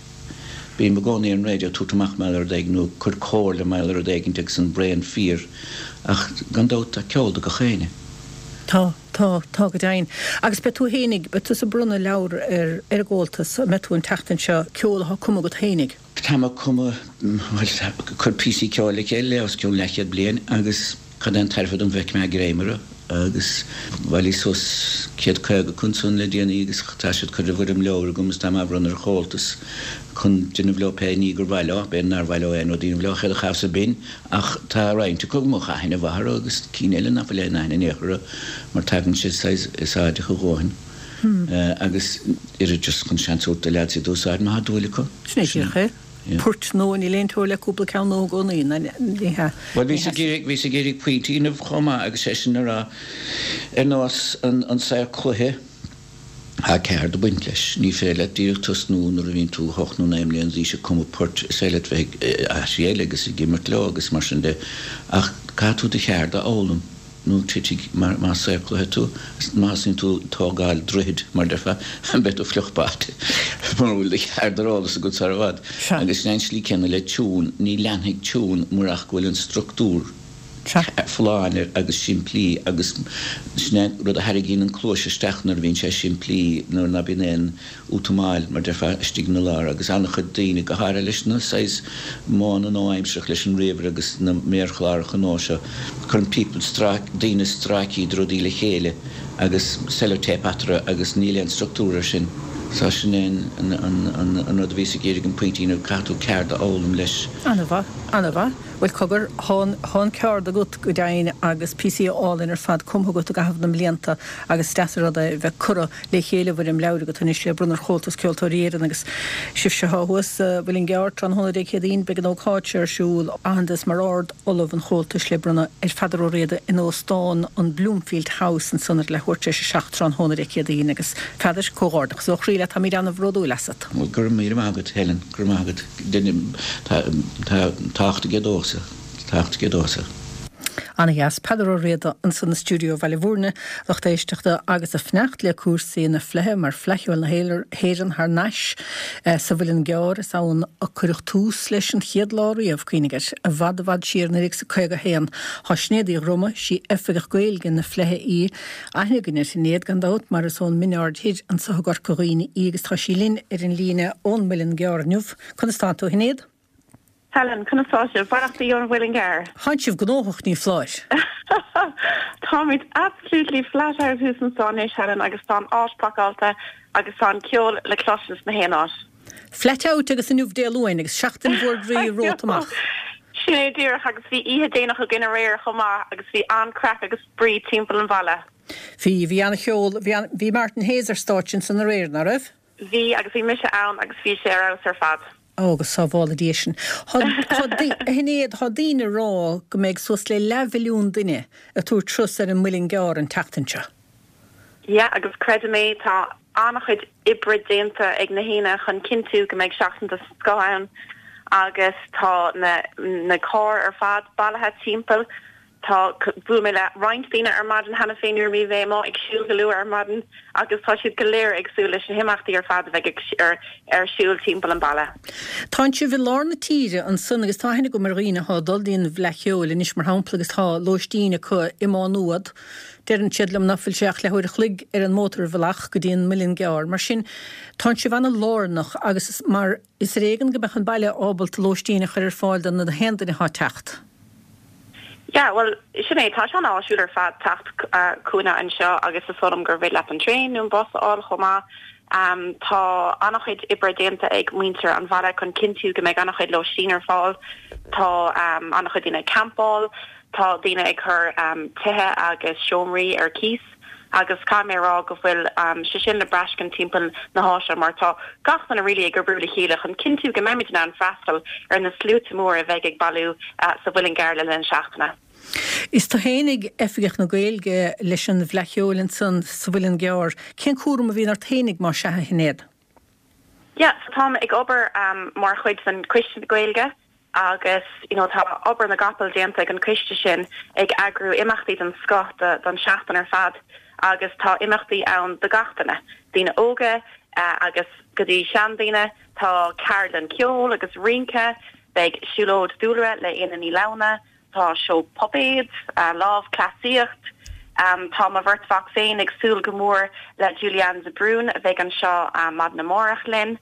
Bím i gcónaí ar an raidió ag tabhairt amach mar gheall ar rud éigin nó ag cur comhairle mar gheall ar rud éigin agus an braon fíor ach gan dabht tá ceol do gach éinne. Tá, tá, tá go deimhin. Agus beidh tú fhéinig, beidh tusa ag bronnadh leabhar ar ar an gComhaltas, an mbeidh tú an tseachtain seo, ceol atá cumtha agat fhéinig? Táim ag cumadh, bhuel, ag cur píosaí ceoil le chéile le os cionn leathchéad bliain agus cad é an tairbhe dom bheith ag greim orthu? agus bhailíos suas céad caoga acu ansan le déanaí agus tá siad curtha i bhfoirm leabhair agam agus táim á bhronnadh ar Chomhaltas chun déanamh leo pé ní gur mhaith leo, b'fhéidir nár mhaith leo aon rud a dhéanamh leo, chéad a chas a binn ach tá roinnt acu go mbeadh aithne mhaith orthu agus cinn eile nach bhfuil aon aithne in aon chor orthu mar tagann siad saghas úsáideach a dhóthain agus oiread just chun seans a thabhairt do leaids iad a úsáid má tá dúil acu. Sin é díreach é. Poirt nua, níl aon teora le cúpla ceann nua i gcónaí, ní hea. Bhuel, bhíos ag iarraidh, bhíos ag iarraidh pointe a dhéanamh chomh maith agus é sin a rá, ar nós an, an saor cloiche, tá ceard ag baint leis. Ní féidir leat díreach tosnú nuair a bhíonn tú hocht nó naoi mbliana d'aois ag cumadh poirt, is féidir leat bheith ag aithrí eile agus ag imirt leo agus mar sin de, ach caithfidh tú do cheard a fhoghlaim. nó titfidh, más saor cloiche tú, má thosaíonn tú ag tógáil droichid, mar déarfá, beidh tú fliuch báite mura bhfuil do cheard ar eolas agat sar i bhfad. Agus sin é an slí céanna le tiún, ní leanfaidh tiún murach go bhfuil an struchtúr folláin air agus simplí agus sin é an rud a tharraingíonn an cluais isteach nuair a bhíonn sé simplí, nuair ná bíonn aon útamáil, mar déarfá, istigh ina lár agus an-chuid daoine, go háirithe leis na saghas modhanna nua-aimseartha leis an ríomhaire agus na méarchláracha nua seo, cuireann people stráic, daoine stráicí de rudaí le chéile agus sellotape eatarthu agus níl aon struchtúr air sin. So sin é an, an, an, an rud a bhíos ag iarraidh an pointe a dhéanamh, caithfidh tú ceard a fhoghlaim leis. An-mhaith, an-mhaith. Bhuel, cogar, thá an, thá an ceard agat go deimhin agus píosaí álainn ar fad cumtha agat i gcaitheamh na mblianta agus is deas an rud é a bheith curtha le chéile i bhfoirm leabhair agat anois le bronnadh ar Chomhaltas Ceoltóirí Éireann agus sibhse athá thuas sa Mhuileann gCearr tráthnóna Dé Céadaoin beidh an ócáid seo ar siúl, aitheantas mar Ard-Ollamh an Chomhaltais le bronnadh ar Pheadar Ó Riada in Óstán an Bloomfield House ansan ar leathuair tar éis a seacht tráthnóna Dé Céadaoin agus Pheadair, comhghairdeachas ó chroí leat, táimid ana-bhródúil asat. Bhuel, go raibh míle maith agat, Helen, go raibh maith agat. Tá tábhacht aige domhsa. Tábhacht aige domhsa. Ana-dheas. Peadar Ó Riada ansan i stiúideo Bhaile Bhúirne, lucht éisteachta agus ag fanacht le cúrsaí na Fleidhe mar Fleadh Cheoil na hÉireann thar n-ais sa Mhuileann gCearr. Is ann a cuireadh tús leis an chéad lá riamh, cuimhnigh air, i bhfad i bhfad siar naoi déag is a caoga a haon. Thá Sinéad Uí Dhroma, sí Oifigeach Gaeilge na Fleidhe í. Aithne againn ar Shinéad gan dabht mar is ón Mín Aird Thoir anso i gCorca Dhuibhne í agus tá sí linn ar an líne ón Muileann gCearr inniu. Conas tánn tú, a Shinéad? Helen, conas tá sibh? Beannachtaí ón Mhuileann gCearr. Tánn sibh gnóthach, ní foláir. Táimid absolutely flat out thuas anso anois, Helen, agus tá an áit pacáilte agus tá an ceol le cloisint sna haon áit. Flat out agus inniu Dé Luain agus seachtain mhór groí romhat amach. Sin é díreach agus bhí oíche déanach againn aréir chomh maith agus bhí an-craic agus spraoi timpeall an bhaile. Bhí, bhí an-cheol, bhí an, bhí Martin Hayes ar stáitse ansan aréir, ná raibh? Bhí agus bhí mise ann agus bhí sé ar fheabhas ar fad. Ó, go sábhála Dia sinn. Thá, thá, a Shinéad, thá daoine ag rá go mbeidh suas le leathmhilliún duine ag tabhairt turas ar an Muileann gCearr an tseachtain seo. Yeah, agus creidim é, tá an-chuid oibre déanta ag na haoinne chun cinntiú go mbeidh seachtain den scoth ann agus tá na, na cairr ar fad bailithe timpeall. Tá bhuail mé le roinnt daoine ar maidin cheana féin nuair a bhí mé amuigh ag siúl go luath ar maidin agus tá siad go léir ag súil leis na himeachtaí ar fad a bheidh ar ar siúl timpeall an baile. Tánn sibh i lár na tíre ansan agus tá aithne agam ar dhaoine atá ag dul dtí an bhFleadh Cheoil anois mar shampla agus tá lóistín acu i Má Nuad. Deireann siad liom nach bhfuil sé ach leathuair a chloig ar an mótarbhealach go dtí an Muileann gCearr. Mar sin tánn sibh ana-lárnach agus is mar is ar éigean go mbeadh an baile ábalta lóistín a chur ar fáil do na haon duine atá ag teacht. Yeah, well, sin é tá sé an-áisiúil ar fad teacht chugainne anseo agus is dóigh liom gur féidir leat an traein nó an bus a fháil chomh maith. Um, tá an-chuid oibre déanta ag muintir an bhaile chun cinntiú go mbeidh an-chuid lóistín ar fáil. Tá um, an-chuid daoine ag campáil, tá daoine ag cur um, tithe agus seomraí ar cíos. agus caithfidh mé a rá go bhfuil um, sé sin le braiscint timpeall na háite mar tá gach duine really ag obair le chéile chun cinntiú go mbeimid in ann freastal ar na sluaite mór a bheidh ag bailiú uh, sa Mhuileann gCearr le linn seachtaine. Is tú fhéinig Oifigeach na Gaeilge leis an bhFleadh Cheoil ansan sa Mhuileann gCearr. Cén cúram a bhíonn ort fhéinig má sea a Shinéad? Yeah, so táim ag obair um, mar chuid den Choiste Gaeilge agus you know, tá obair na gcapall déanta ag an coiste sin ag eagrú imeachtaí den scoth don seachtain ar fad agus tá imeachtaí ann do gach duine. Daoine óga uh, agus go dtí seandaoine, tá ceardlann ceoil agus rince, beidh siúlóid dúlra le Éanna Ní Lamhna, tá seó puipéad, uh, lámhchleasaíocht, um, tá mo bheirt mhac féin ag súil go mór le Julianne de Brún a bheidh anseo um, maidin amárach linn.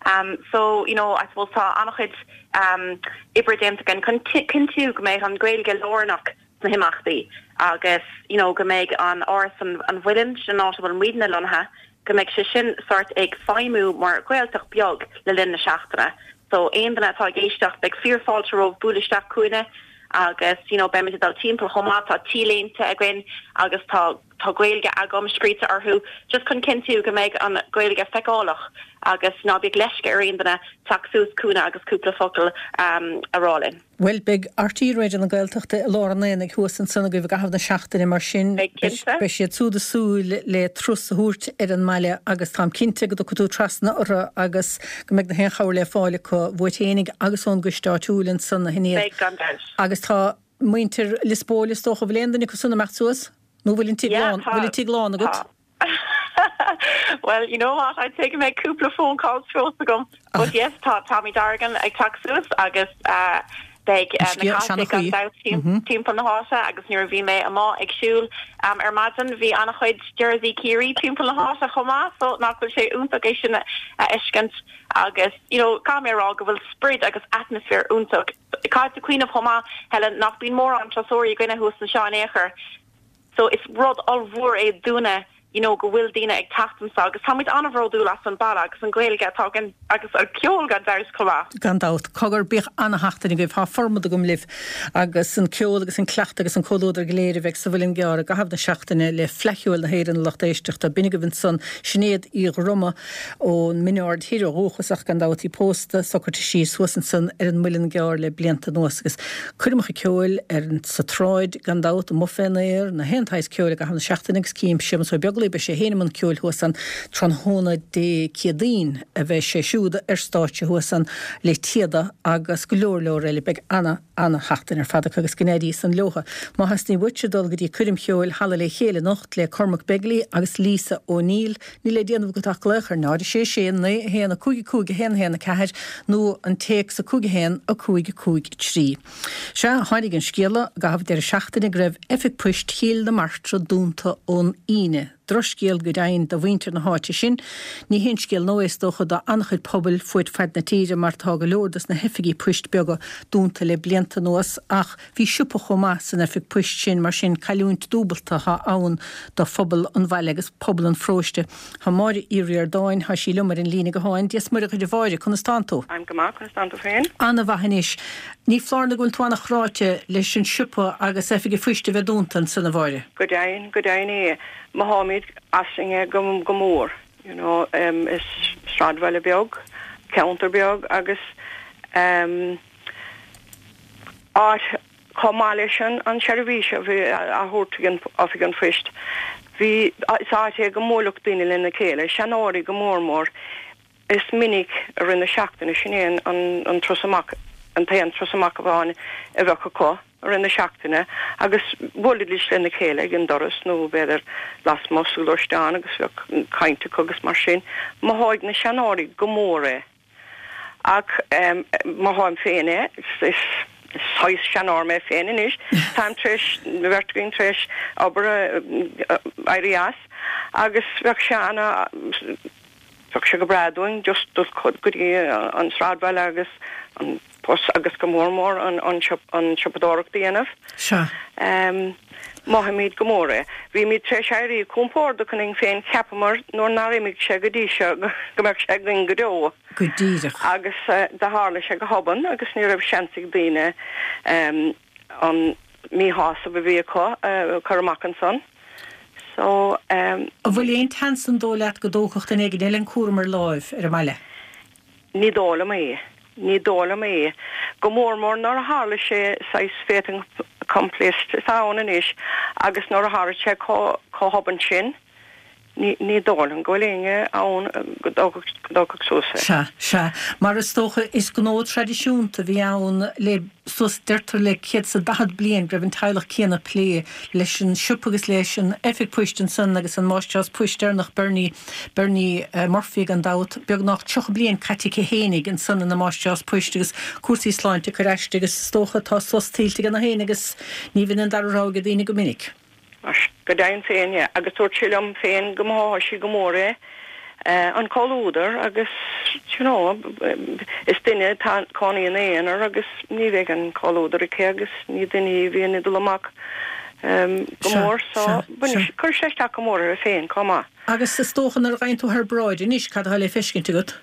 Um, so you know, I suppose tá an-chuid um, oibre déanta againn chun cinntiú go mbeidh an Ghaeilge lárnach sna himeachtaí agus you know, go mbeidh an áras an, an Mhuilinn sin áit a bhfuil muidne lonnaithe, go mbeidh sé sin sort ag feidhmiú mar Ghaeltacht beag le linn na seachtaine. So aon duine atá ag éisteacht beidh fíorfháilte romhaibh bualadh isteach chugainne agus you know, beimid ag dul timpeall chomh maith tá T-léinte againn agus tá tá Gaeilge agam scríte orthu just chun cinntiú go mbeidh an Ghaeilge feiceálach agus ná bíodh leisce ar aon duine teacht suas chugainne agus cúpla focal um, a rá linn. Well beidh RTÉ Raidió na Gaeltachta i lár an aonaigh thuas ansan agaibh i gcaitheamh na seachtaine mar sin beidh siad siúd ag súil le turas a thabhairt ar an mbaile agus táim cinnte go dtiocfaidh tú trasna orthu agus go mbeidh na haon chabhair le fáil acu uait fhéinig agus ón gcoiste áitiúil ansan a Shinéad. Beidh gan dabht. Agus tá muintir Lios Póil is dócha bhfuil aon duine acu san amach suas? Nó bhfuil an tigh lán bhfuil an tigh lán agat? Well, you know what? I'd say go mbeidh cúpla phone calls fós agam. But yes, tá Tommy Dargan ag teacht suas agus uh, beidh uh, na gan dabht timpeall na háite agus nuair a bhí mé amuigh ag siúl um, ar maidin bhí an-chuid jersey Ciarraí timpeall na háite chomh maith, so nach bhfuil sé iontach é sin a fheiscint agus you know, caithfidh mé a rá go bhfuil sprid agus atmaisféar iontach. Caithfidh tú cuimhneamh chomh maith Helen nach mbíonn mórán turasóirí againne thuas anseo in aon chor. So is rud ollmhór é dúinne you know, go bhfuil daoine ag teacht anseo agus táimid an-bhródúil as an baile agus an Ghaeilge atá againn agus an ceol gan dabht chomh maith. Gan dabht cogar bíodh ana-sheachtain agaibh tá formad agam libh agus an ceol agus an cleachtadh agus an comhluadar go léir a bheidh sa Mhuileann gCearr i gcaitheamh na seachtaine le Fleadh Cheoil na hÉireann lucht éisteachta b'in agaibh ansan Sinéad Uí Dhroma ón Mín Aird Thoir ó dhúchas ach gan dabht í pósta socraithe síos thuas ansan ar an Muileann gCearr le blianta anuas agus coirmeacha ceoil ar sa tsráid gan dabht amuigh fén aer na haon tsaghas ceoil i gcaitheamh na seachtaine agus cím Séamus Ó Beaglaoi beidh sé féin i mbun ceoil thuas ann tráthnóna Dé Céadaoin a bheidh sé siúd ar stáitse thuas ann le Téada agus go leor leor eile beidh ana ana-sheachtain ar fad acu agus go n-éirí san leotha. Má theastaíonn uait dul go dtí coirm cheoil Halla le Chéile anocht le Cormac Begley agus Lisa O'Neill, níl le déanamh agat ach glaoch ar náid sé sé naoi a haon a cúig a cúig a haon a haon a ceathair nó an téacs a cúig a haon a cúig a cúig trí. Sea tháinig an scéala i gcaitheamh deireadh seachtaine go raibh oifig poist Chill na Martra dúnta ón Aoine. Drochscéal go deimhin do mhuintir na háite sin, ní haon scéal nua é is dócha do an-chuid pobail fud fad na tíre mar tá go leor dos na hoifigí poist beaga dúnta le blianta anuas ach bhí siopa chomh maith san oifig poist sin mar sin cailliúint dúbalta atá ann do phobal an bhaile agus pobal an pharóiste. Tá Máire Uí Ríordáin tá sí liom ar an líne gutháin, Dia is Muire dhuit a Mháire, conas tánn tú? Táim go maith conas tánn tú féin? An-mhaith anois. Ní foláir nó go bhfuil tú an-chráite leis an siopa agus oifig an phoist a bheith dúnta ansan a Mháire. Go deimhin go deimhin é mothaímid as go go mór you know um, is sráidbhaile beag ceantar beag agus um, áit chomh maith leis an an seirbhís a bhí á thabhairt an oifig an phoist. Bhí is áit é go mbuaileadh daoine lena chéile, seanóirí go mór mór is minic a rinne seachtaine sin é an, an, an turas amach an t-aon turas amach amháin a bheadh acu i rith na seachtaine agus bhuailfidís lena chéile ag an doras nó b'fhéidir lasmuigh sa ghluaisteán agus bheadh caint acu agus mar sin. Mothóidh na seanóirí go mór é. Ach mothaím féin é, is saghas seanóir mé féin anois, táim tar éis, beirt againn tar éis obair éirí as agus bheadh sé ana, bheadh sé go breá dúinn just dul go dtí an sráidbhaile agus an post agus go mór mór an an an siopadóireacht a dhéanamh. Sea. Mothaímid go mór é. Bhímid tar éis éirí compordach ionainn féin, cheapamar nuair nár imigh sé go dtí seo go mbeadh sé againn go deo. Go díreach. Agus do tharla sé go hobann agus ní raibh seans ag daoine an míshásamh a bhí acu a chur amach ansan. So. An bhfuil aon tseans an dóigh leat go dtógfadh duine éigin eile an cúram ar láimh ar an mbaile? Ní dóigh liom é. Ní dóigh liom é. Go mór mór nuair a tharla sé saghas fait accompli atá ann anois agus nuair a tharla sé chomh hobann sin, ní ní dóigh liom go bhfuil éinne ann go dtógfadh suas é. Sea, sea. Mar is dócha, is gnó traidisiúnta a bhí ann le suas, deirtear le céad is a daichead bliain go raibh an teaghlach céanna ag plé leis an siopa agus leis an oifig poist ansan agus an máistreás poist deireanach Bernie, Bernie Murphy gan dabht, beagnach tríocha bliain caite aici fhéinig ansan ina máistreás poist agus cúrsaí sláinte ag cur aisti agus is dócha tá sos tuillte aige féin agus ní bhíonn an dara rogha ag daoine go minic. Go deimhin féin, yeah. Agus dúirt sí liom féin go mothódh sí go mór é, an comhluadar agus, you know, is duine atá cónaí ina aonar agus ní bheidh an comhluadar aici agus ní duine í a bhíonn ag dul amach go mór so cuirfidh sé isteach go mór uirthi féin chomh maith. Agus is dócha nuair a ghabhann tú thar bráid anois, cad atá le feiscint agat?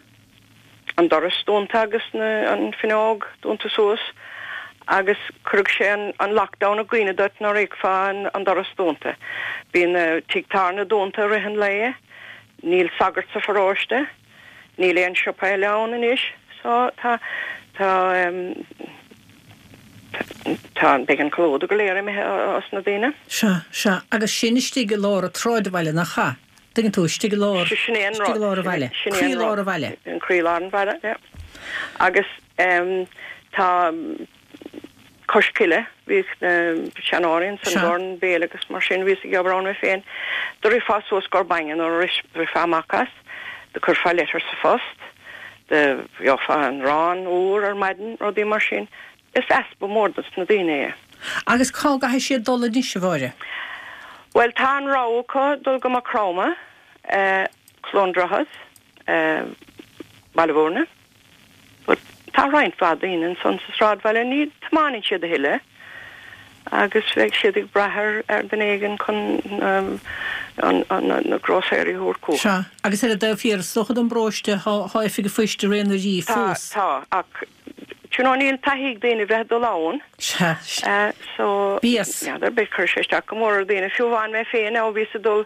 An doras dúnta agus na, an fuinneog dúnta suas. Agus chuirfeadh sé an lockdown i gcuimhne duit nuair a fheicfeá an doras dúnta. Bíonn tigh tábhairne dúnta i rith an lae, níl sagart sa pharóiste, níl aon siopa eile ann anois, so tá, tá, tá, beidh an comhluadar go léir imithe os na daoine. Sea, sea, agus sin istigh i lár an tsráidbhaile, nach ea? Tuigeann tú, istigh i lár, istigh i lár an bhaile, croílár an bhaile. Croílár an bhaile, yeah. Agus tá Cois Cille, bhíodh na seanóirí ansan i gcomhair an béile agus mar sin, bhíos ag obair ann mé féin. Do rithfeá suas i gcomhair bainne nuair a rithfeá amach as, do chuirfeá leitir sa phost, do gheofá an arán úr ar maidin, rudaí mar sin. Is easpa mór dos na daoine é. Agus cá gcaithfidh siad dul anois, a Mháire? Bhuel, tá an rogha acu dul go Maigh Chromtha, Cluain Droichead, Baile Bhúirne. But tá roinnt mhaith daoine ansan sa sráidbhaile, ní tiomáineann siad a thuilleadh agus bheidh siad ag brath ar ar duine éigin chun na grósaeirí a thabhairt chucu. Sea, agus ar an dtaobh thiar, is dócha den bparóiste, tá oifig an phoist de réir na rí Tá, fós. tá, ach you know níl taithí ag daoine bheith ag dul ann. Sea, sea. So, Bíos. n'fheadar, beidh cuirfidh sé isteach go mór ar dhaoine. Fiú amháin mé féin, ó bhíos ag dul,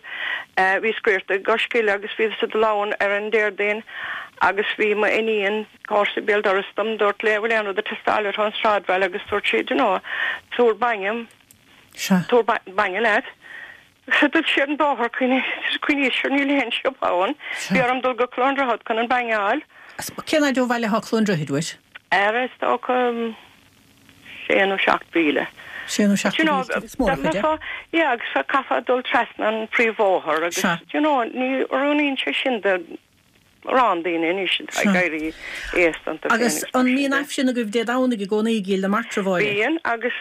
bhíos scoirte i gCois Cille agus bhíos ag dul ann ar an Déardaoin agus bhí m'iníon, comharsa béal dorais dom, dúrt léi bhfuil aon rud ag teastáil uait ón sráidbhaile agus dúirt sí, do you know, tabhair bainne, Sea. tabhair bainne leat. Agus dul siar an bóthar, cuimhnigh, sure níl aon siopa ann, bhí orm dul go Cluain Droichead chun an bainne a fháil. Cén fhaid ó bhaile atá Cluain Droichead uait? Ar is dócha sé nó seacht mhíle. Sé nó seacht míle, is mór an chuid é. Yeah, agus chaithfeá dul trasna an príomhbhóthar agus, you know, ní oiriúnaíonn sé sin do mórán daoine anois atá ag éirí aosta iontu féin Agus an mbíonn Aifreann agaibh Dé Domhnaigh i gcónaí i gCill na Martra, a Mháire? Bíonn, agus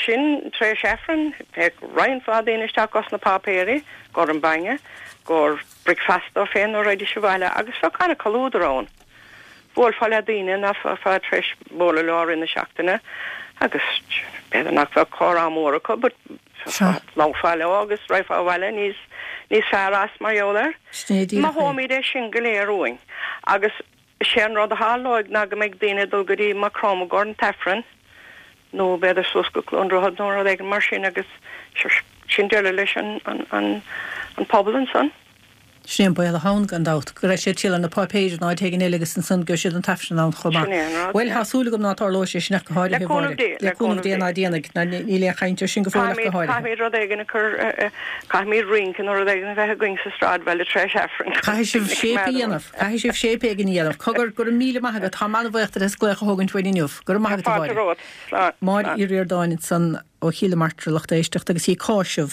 sin tar éis Aifreann, théadh roinnt mhaith daoine isteach dos na páipéirí, i gcomhair an bainne, i gcomhair bricfeasta dóibh féin nuair a raghaidís abhaile agus bheadh an-chomhluadar ann. Bhuailfeá le daoine nach mbeifeá tar éis bualadh leo i rith na seachtaine agus b'fhéidir nach bheadh comhrá mór acu but labharfá leo agus raghfá abhaile níos níos fearr as mar gheall air. Mothóimid é sin go léir uainn agus sé an rud a tharlóidh ná go mbeidh daoine ag dul go dtí Maigh Chromtha i gcomhair an t-Aifreann nó b'fhéidir suas go Cluain Droichead nó rud éigin mar sin agus sin deireadh leis an an an an pobal ansan. Sin é an baol atá ann, gan dabht, go raibh siad ag triall ar na páipéir in áit éigin eile agus ansan go raibh siad an tAifreann ann chomh maith. Sin é an rud, Bhuel, yeah. tá súil agam ná tarlóidh sé sin ach go háirithe, Le cúnamh a Mháire. Dé, Le le cúnamh cúnamh Dé Dé. ná déanfaidh, ná níl aon chaint air sin go fóill ach go Caithfimid, háirithe. caithfimid rud éigin a chur, caithfimid rince nó rud éigin a bheith againn sa sráidbhaile tar éis Aifrinn. Caithfidh sibh séip a dhéanamh, caithfidh sibh séip éigin a dhéanamh. Cogar, go raibh míle maith agat, táim an-bhuíoch díot as glaoch a thógaint uainn inniu. Go raibh maith agat, a Fáilte Mháire. romhat. Slán. Máire Slán. Uí Ríordáin ansan ó Chill na Martra lucht éisteachta agus í ag cáiseamh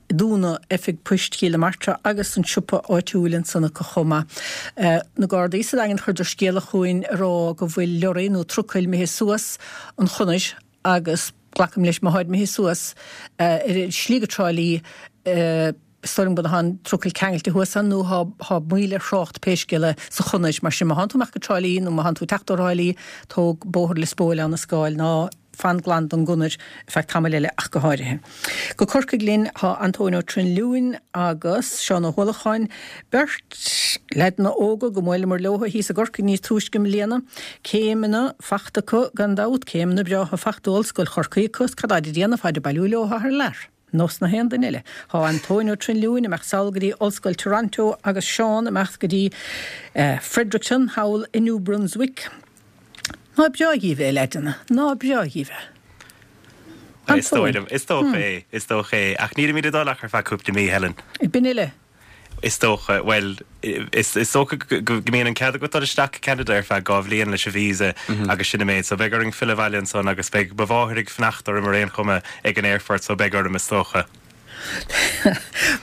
dúnadh oifig poist Chill na Martra agus an siopa áitiúil ansan acu chomh maith. Na Gardaí sa Daingean chuireadar scéala chugainn a rá go bhfuil lorry nó trucail imithe suas an chonair agus glacaim leis má tháid imithe suas ar an slí go Trá Lí is dóigh liom go bhfuil an trucail ceangailte thuas ann nó thá moill ar thrácht pé scéal é sa chonair mar sin má thánn tú amach go Trá Lí nó má thánn tú ag teacht ó Thrá Lí tóg bóthar Lios Póil Abha na Scáil ná fan glan don gconair ar feadh tamaill eile ach go háirithe. Go Corcaigh linn thá Antóin Ó Trinliúin agus Seán Ó hUallacháin, beirt leaideanna óga go mbuaileamar leo thíos i gCorcaigh níos túisce i mbliana. Céimeanna fachta acu gan dabht, céimeanna breátha fachta ó Ollscoil Chorcaí acu, is cad táid ag déanamh, táid ag bailiú leo thar lear. Nós na haon duine eile. Thá Antóin Ó Trinliúin imeacht sall go dtí Ollscoil Toronto agus Seán imeacht go dtí Fredericton thall i New Brunswick. Ná breá dhíbh é, a leaideanna, ná breá dhíbh é. Is dóigh liom, is dócha é, is dócha é. Ach nílimid ag dul ach ar feadh cúpla mí, Helen. B'in uile. Is dócha, bhuel, is is dócha go mbíonn an cead agat dul isteach go Ceanada ar feadh dhá bhliain leis an visa agus sin an méid. So beidh orainn filleadh abhaile ansan agus beidh mo mháthair ag fanacht orm ar aon chuma ag an aerfort so beidh orm is dócha.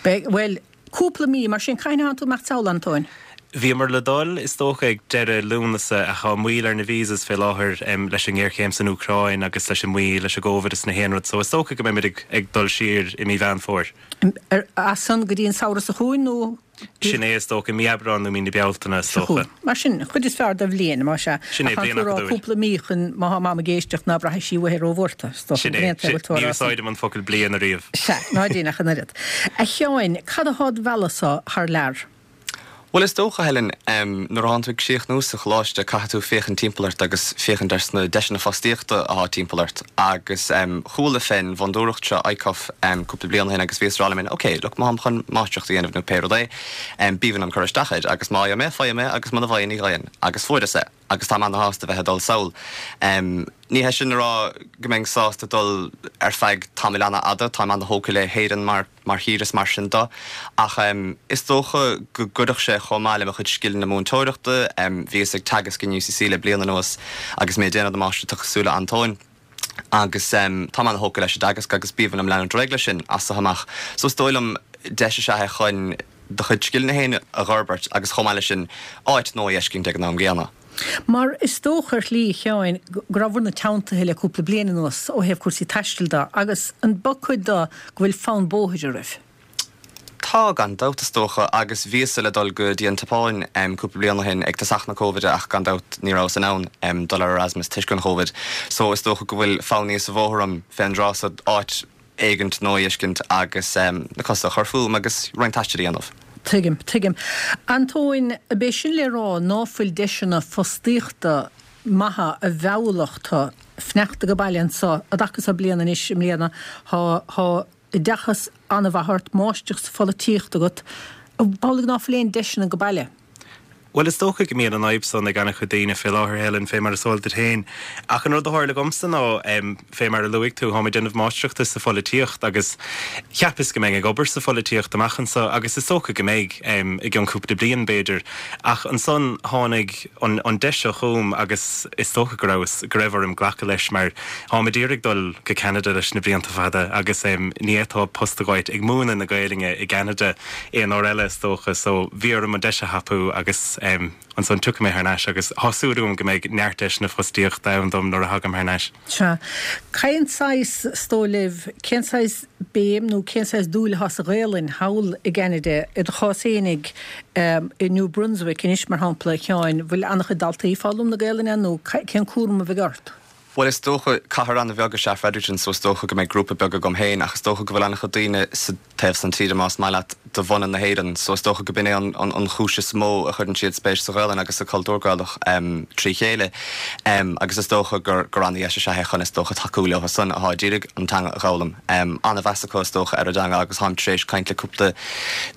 Beidh, bhuel, cúpla mí, mar sin, cathain a thánn tú ag imeacht sall, Antóin? Bhíomar le dul, is dócha, ag deireadh Lúnasa ach tá moill ar na visas fé láthair leis an ngéarchéim san Úcráin agus leis an moill leis an gCovid is na haon rud so is dócha go mbeimid ag ag dul siar i mí Mheán Fómhair. As san go dtí an samhradh seo chugainn nó? Sin é is dócha, mí Aibreán nó mí na Bealtaine is dócha. Mar sin, an chuid is fearr de bhliain, más ea. Sin é, Ach bliain tá tú ag rá acadúil. cúpla mí chun má tá Mam ag éisteacht ná braithfidh sí uaithi róbhuartha, is dócha. Sin é, An aon taobh sin, tú a ní rá san. úsáidim an focal bliain ariamh. Sea, ná déan ach an oiread. A Sheáin, cad atá id mhealladh-sa thar lear? Bhuel, is dócha, Helen, nuair atánn tú ag críochnú sa choláiste caithfidh tú féachaint timpeall ort agus féachaint ar na deiseanna fostaíochta atá timpeall ort. Agus chuala fén bhfondúireacht seo ICUF cúpla bliain ó shin agus bhíos ag rá liom féin, ok, look, má tháim chun máistreacht a dhéanamh nó pé rud é, b'aoibhinn liom cur isteach air agus má fhaigheann mé, faighim é agus muna bhfaigheann ní fhaigheann. Agus fuaireas é agus táim ana-shásta bheith ag dul sall. Ní hé sin a rá go mbeinn sásta dul ar feadh tamaill an-fhada, táim ana-thógtha le hÉirinn mar mar thír is mar sin de, ach is dócha go gcuirfeadh sé chomh maith le mo chuid scileanna múinteoireachta, bhíos ag teagasc in UCC le bliain anuas agus mé ag déanamh na máistreachta cosúil le Antóin. Agus táim ana-thógtha leis an dteagasc agus b'aoibhinn liom leanúint ar aghaidh leis sin as seo amach. So is dóigh liom deis is ea é chun do chuid scileanna féin a fhorbairt agus chomh maith leis sin áit nua a fheiscint ag an am gcéanna. Mar is dócha ar shlí, a Sheáin, go raibh-bhur-na teanntaithe le cúpla bliain anuas ó thaobh cúrsaí taistil de agus an ba cuid de go bhfuil fonn bóthair oraibh? Tá, gan dabht is dócha, agus bhíos-sa le dul go dtí an tSeapáin cúpla bliain ó shin ag tosach na Cóivide ach gan dabht ní rabhas in ann dul ar Erasmus toisc an Chóivid. So is dócha go bhfuil fonn níos sa bhóthar orm fén dtráth so áit éigint nua a fheiscint agus na cosa a chur fúm agus roinnt taistil a dhéanamh. Tuigim, tuigim. Antóin, ab é sin le rá ná fuil deiseanna fostaíochta maithe a mheallfadh tú fanacht ag baile anso, i dtaca so bliain anois i mbliana, thá, thá oideachas an-mhaith ort, máistreacht sa pholaitíocht agat, ab amhlaidh ná fuil aon deiseanna go baile? Bhuel, is dócha go mbíonn an fhadhb san ag an-chuid daoine fé láthair, Helen, fé mar is eol duit féin. Ach an rud a tharla dhomsa ná, fé mar a luaigh tú, táim ag déanamh máistreachta sa pholaitíocht agus cheapas go mbeinn ag obair sa pholaitíocht amach anso agus is dócha go mbeidh, i gcionn cúpla bliain b'fhéidir. Ach ansan tháinig an an deis seo chugam agus is dócha go rabhas, go raibh orm glacadh leis mar táim ag iarraidh dul go Ceanada leis na blianta fada agus ní fhéadfá post a fháilt ag múineadh na Gaelainne i gCeanada aon uair eile is dócha so bhí orm an deis a thapú agus ansan tiocfaidh mé thar n-ais agus tá súil agam go mbeidh neart deiseanna fostaíochta ann dom nuair a thagaim thar n-ais. Sea. Cén saghas, is dóigh libh, cén saghas béim nó cén saghas dúil atá sa Ghaelainn thall i gCeanada, i do chás fhéinig i New Brunswick anois mar shampla, a Sheáin, bhfuil an-chuid daltaí ag foghlaim na Gaelainne nó cén cúram a bheidh ort? Bhuel is dócha cathair an-bheag is ea Fredericton so is dócha go mbeidh grúpa beag agam féin ach is dócha go bhfuil an-chuid daoine sa taobh san tíre más maith leat de bhunadh na hÉireann so is dócha go b'in é an, an, an chúis is mó a chuireann siad spéis sa Ghaelainn agus sa chultúr Gaelach um, trí chéile um, agus is dócha gur gur an-dheis is ea é chun is dócha tacú leo san atá ag iarraidh an teanga a fhoghlaim. Um, an-mheas acu is dócha ar an dteanga agus táim tar éis caint le cúpla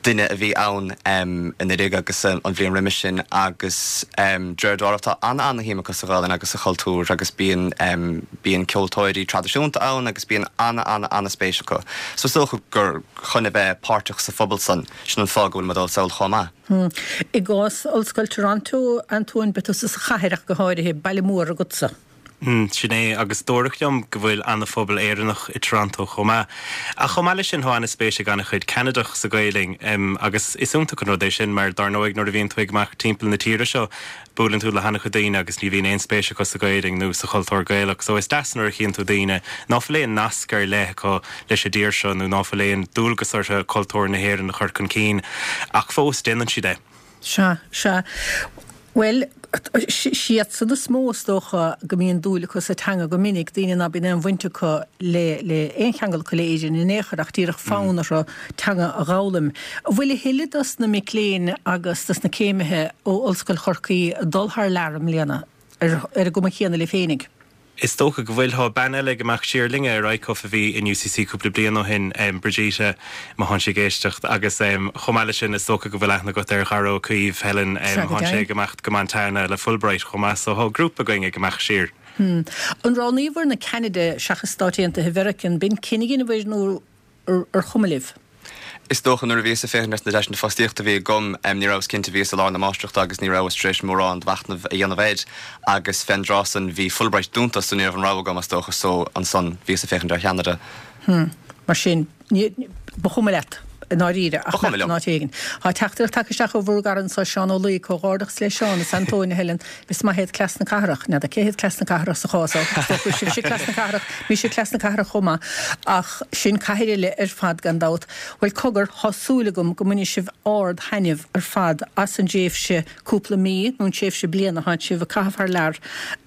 duine a bhí ann um, anuraidh agus um, an bhliain roimhe sin agus um, deir tá an an-shuim acu sa Ghaelainn agus sa chultúr agus bíonn um, bíonn ceoltóirí traidisiúnta ann agus bíonn an an an-spéis acu. So is dócha gur chun a bheith páirteach sa phobal san sin an fáth go bhfuil mé ag dul sall chomh maith. Hmm. I gcás Ollscoil Toronto Antóin beidh tusa sa chathair ach go háirithe baile mór agatsa. Mm, sin é agus dúradh liom go bhfuil an-phobal Éireannach i Toronto chomh maith. Ach chomh maith leis sin tá an-spéis ag an-chuid Ceanadach sa Ghaelainn um, agus is iontach an rud é sin mar dar ndóigh nuair a bhíonn tú ag imeacht timpeall na tíre seo buaileann tú le han-chuid daoine agus ní bhíonn aon spéis acu sa Ghaelainn nó sa chultúr Gaelach, so is deas nuair a chíonn tú daoine ná fuil aon nasc ar leith acu leis an dtír seo nó ná fuil aon dualgas orthu cultúr na hÉireann a chur chun cinn ach fós déanann siad é. Sea, sea. Bhuel, siadsan is mó is dócha go mbíonn dúil acu sa teanga go minic, daoine ná bíonn aon bhaint acu le le aon cheangal acu le Éirinn in aon chor ach díreach fonn orthu teanga a dh'fhoghlaim. An bhfuil a thuilleadh dos na mic léinn agus dos na céimithe ó Ollscoil Chorcaí ag dul thar lear i mbliana ar ar an gcuma chéanna libh féinig? Is dócha go bhfuil tá bean eile ag imeacht siar linne ar ICUF a bhí in UCC cúpla bliain ó shin um, Brigitte má thánn sí ag éisteacht agus um, chomh maith leis sin is dócha go bhfuil aithne agat ar Dhara Ó Caoimh Helen um, thánn sé ag imeacht go Montana le Fulbright chomh maith so tá grúpa againn ag imeacht siar. Hmm. An roghnaíobhair na Ceanada seachas Stáit Aontaithe Mheiriceá an b'in cinneadh a dheineabhair nó ar chuma libh? Is dócha nuair a bhíos ag féachaint ar na deiseanna fostaíochta a bhí agam ní rabhas cinnte bhíos i lár na máistreachta agus ní rabhas tar éis mórán machnaimh a dhéanamh air agus fén dtráth san bhí Fulbright dúnta so ní raibh an rogha agam is dócha so ansan bhíos ag féachaint ar Cheanada. Hmm. Mar sin ba chuma leat i ndáiríre ach Ba chuma liom. in áit éigin. Tá teachtaireacht tagtha isteach ó bhur gcara anseo Seán Ó Laoi comhghairdeachas le Seán is Antóin a Helen is maith iad cleas na cathrach n'fheadar cé hiad cleas na cathrach sa chás seo. Is dócha sibhse cleas na cathrach, mise cleas na cathrach chomh maith ach sin cathair eile ar fad gan dabht. Bhuel cogar tá súil agam go mbainfidh sibh ard-thaitneamh ar fad as an dtréimhse cúpla mí nó an tréimhse bliana atá sibh ag caitheamh thar lear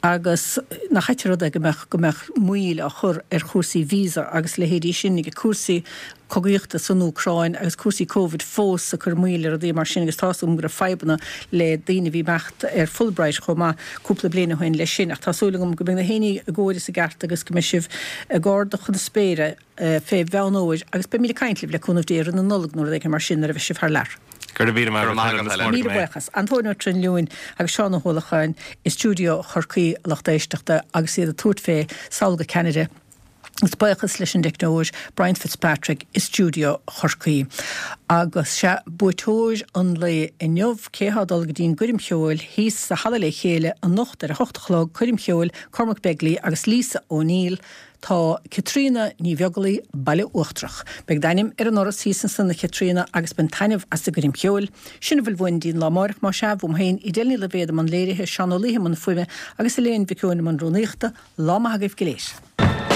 agus nach ait an rud é go mbeadh go mbeadh moill á chur ar chúrsaí visa agus leithéidí sin ag cúrsaí cogaíochta san Úcráin agus cúrsaí Covid fós ag cur moill ar rudaí mar sin agus tá súil agam go raibh fadhbanna le daoine a bhí ag imeacht ar Fulbright chomh maith cúpla bliain ó shin leis sin ach tá súil agam go mbeidh na héiní i gcóir is i gceart agus go mbeidh sibh ag ardú chun na spéire fé Mheán Fhómhair agus beimid ag caint libh le cúnamh Dé roimh na Nollag nó rud éigin mar sin nuair a bheidh sibh thar lear. Go raibh míle maith Go raibh maith agat, Helen. Míle buíochas. Antóin Ó Trinliúin agus Seán Ó hUallacháin i stiúideo Chorcaí lucht éisteachta agus iad ag tabhairt fé sall go Ceanada. Is buíochas leis an dteicneoir Brian Fitzpatrick i stiúideo Chorcaí. Agus sea buaiteoir an lae inniu cé atá ag dul go dtí an gcoirm cheoil thíos sa halla le chéile anocht ar a hocht a chlog coirm cheoil Cormac Begley agus Lisa O'Neill tá Caitríona Ní Bheaglaoí Baile Uachtarach. Beidh d'ainm ar an ndoras thíos ansan a Chaitríona agus bain taitneamh as an gcoirm cheoil. Sin a bhfuil uainn go dtí an lá amárach más ea uaim féin Edel Ní Loibhéad i mbun léirithe Seán Ó Laoithe i mbun fuaime agus Elaine Mhic Eoin i mbun rúnaíochta, lá maith agaibh go léir.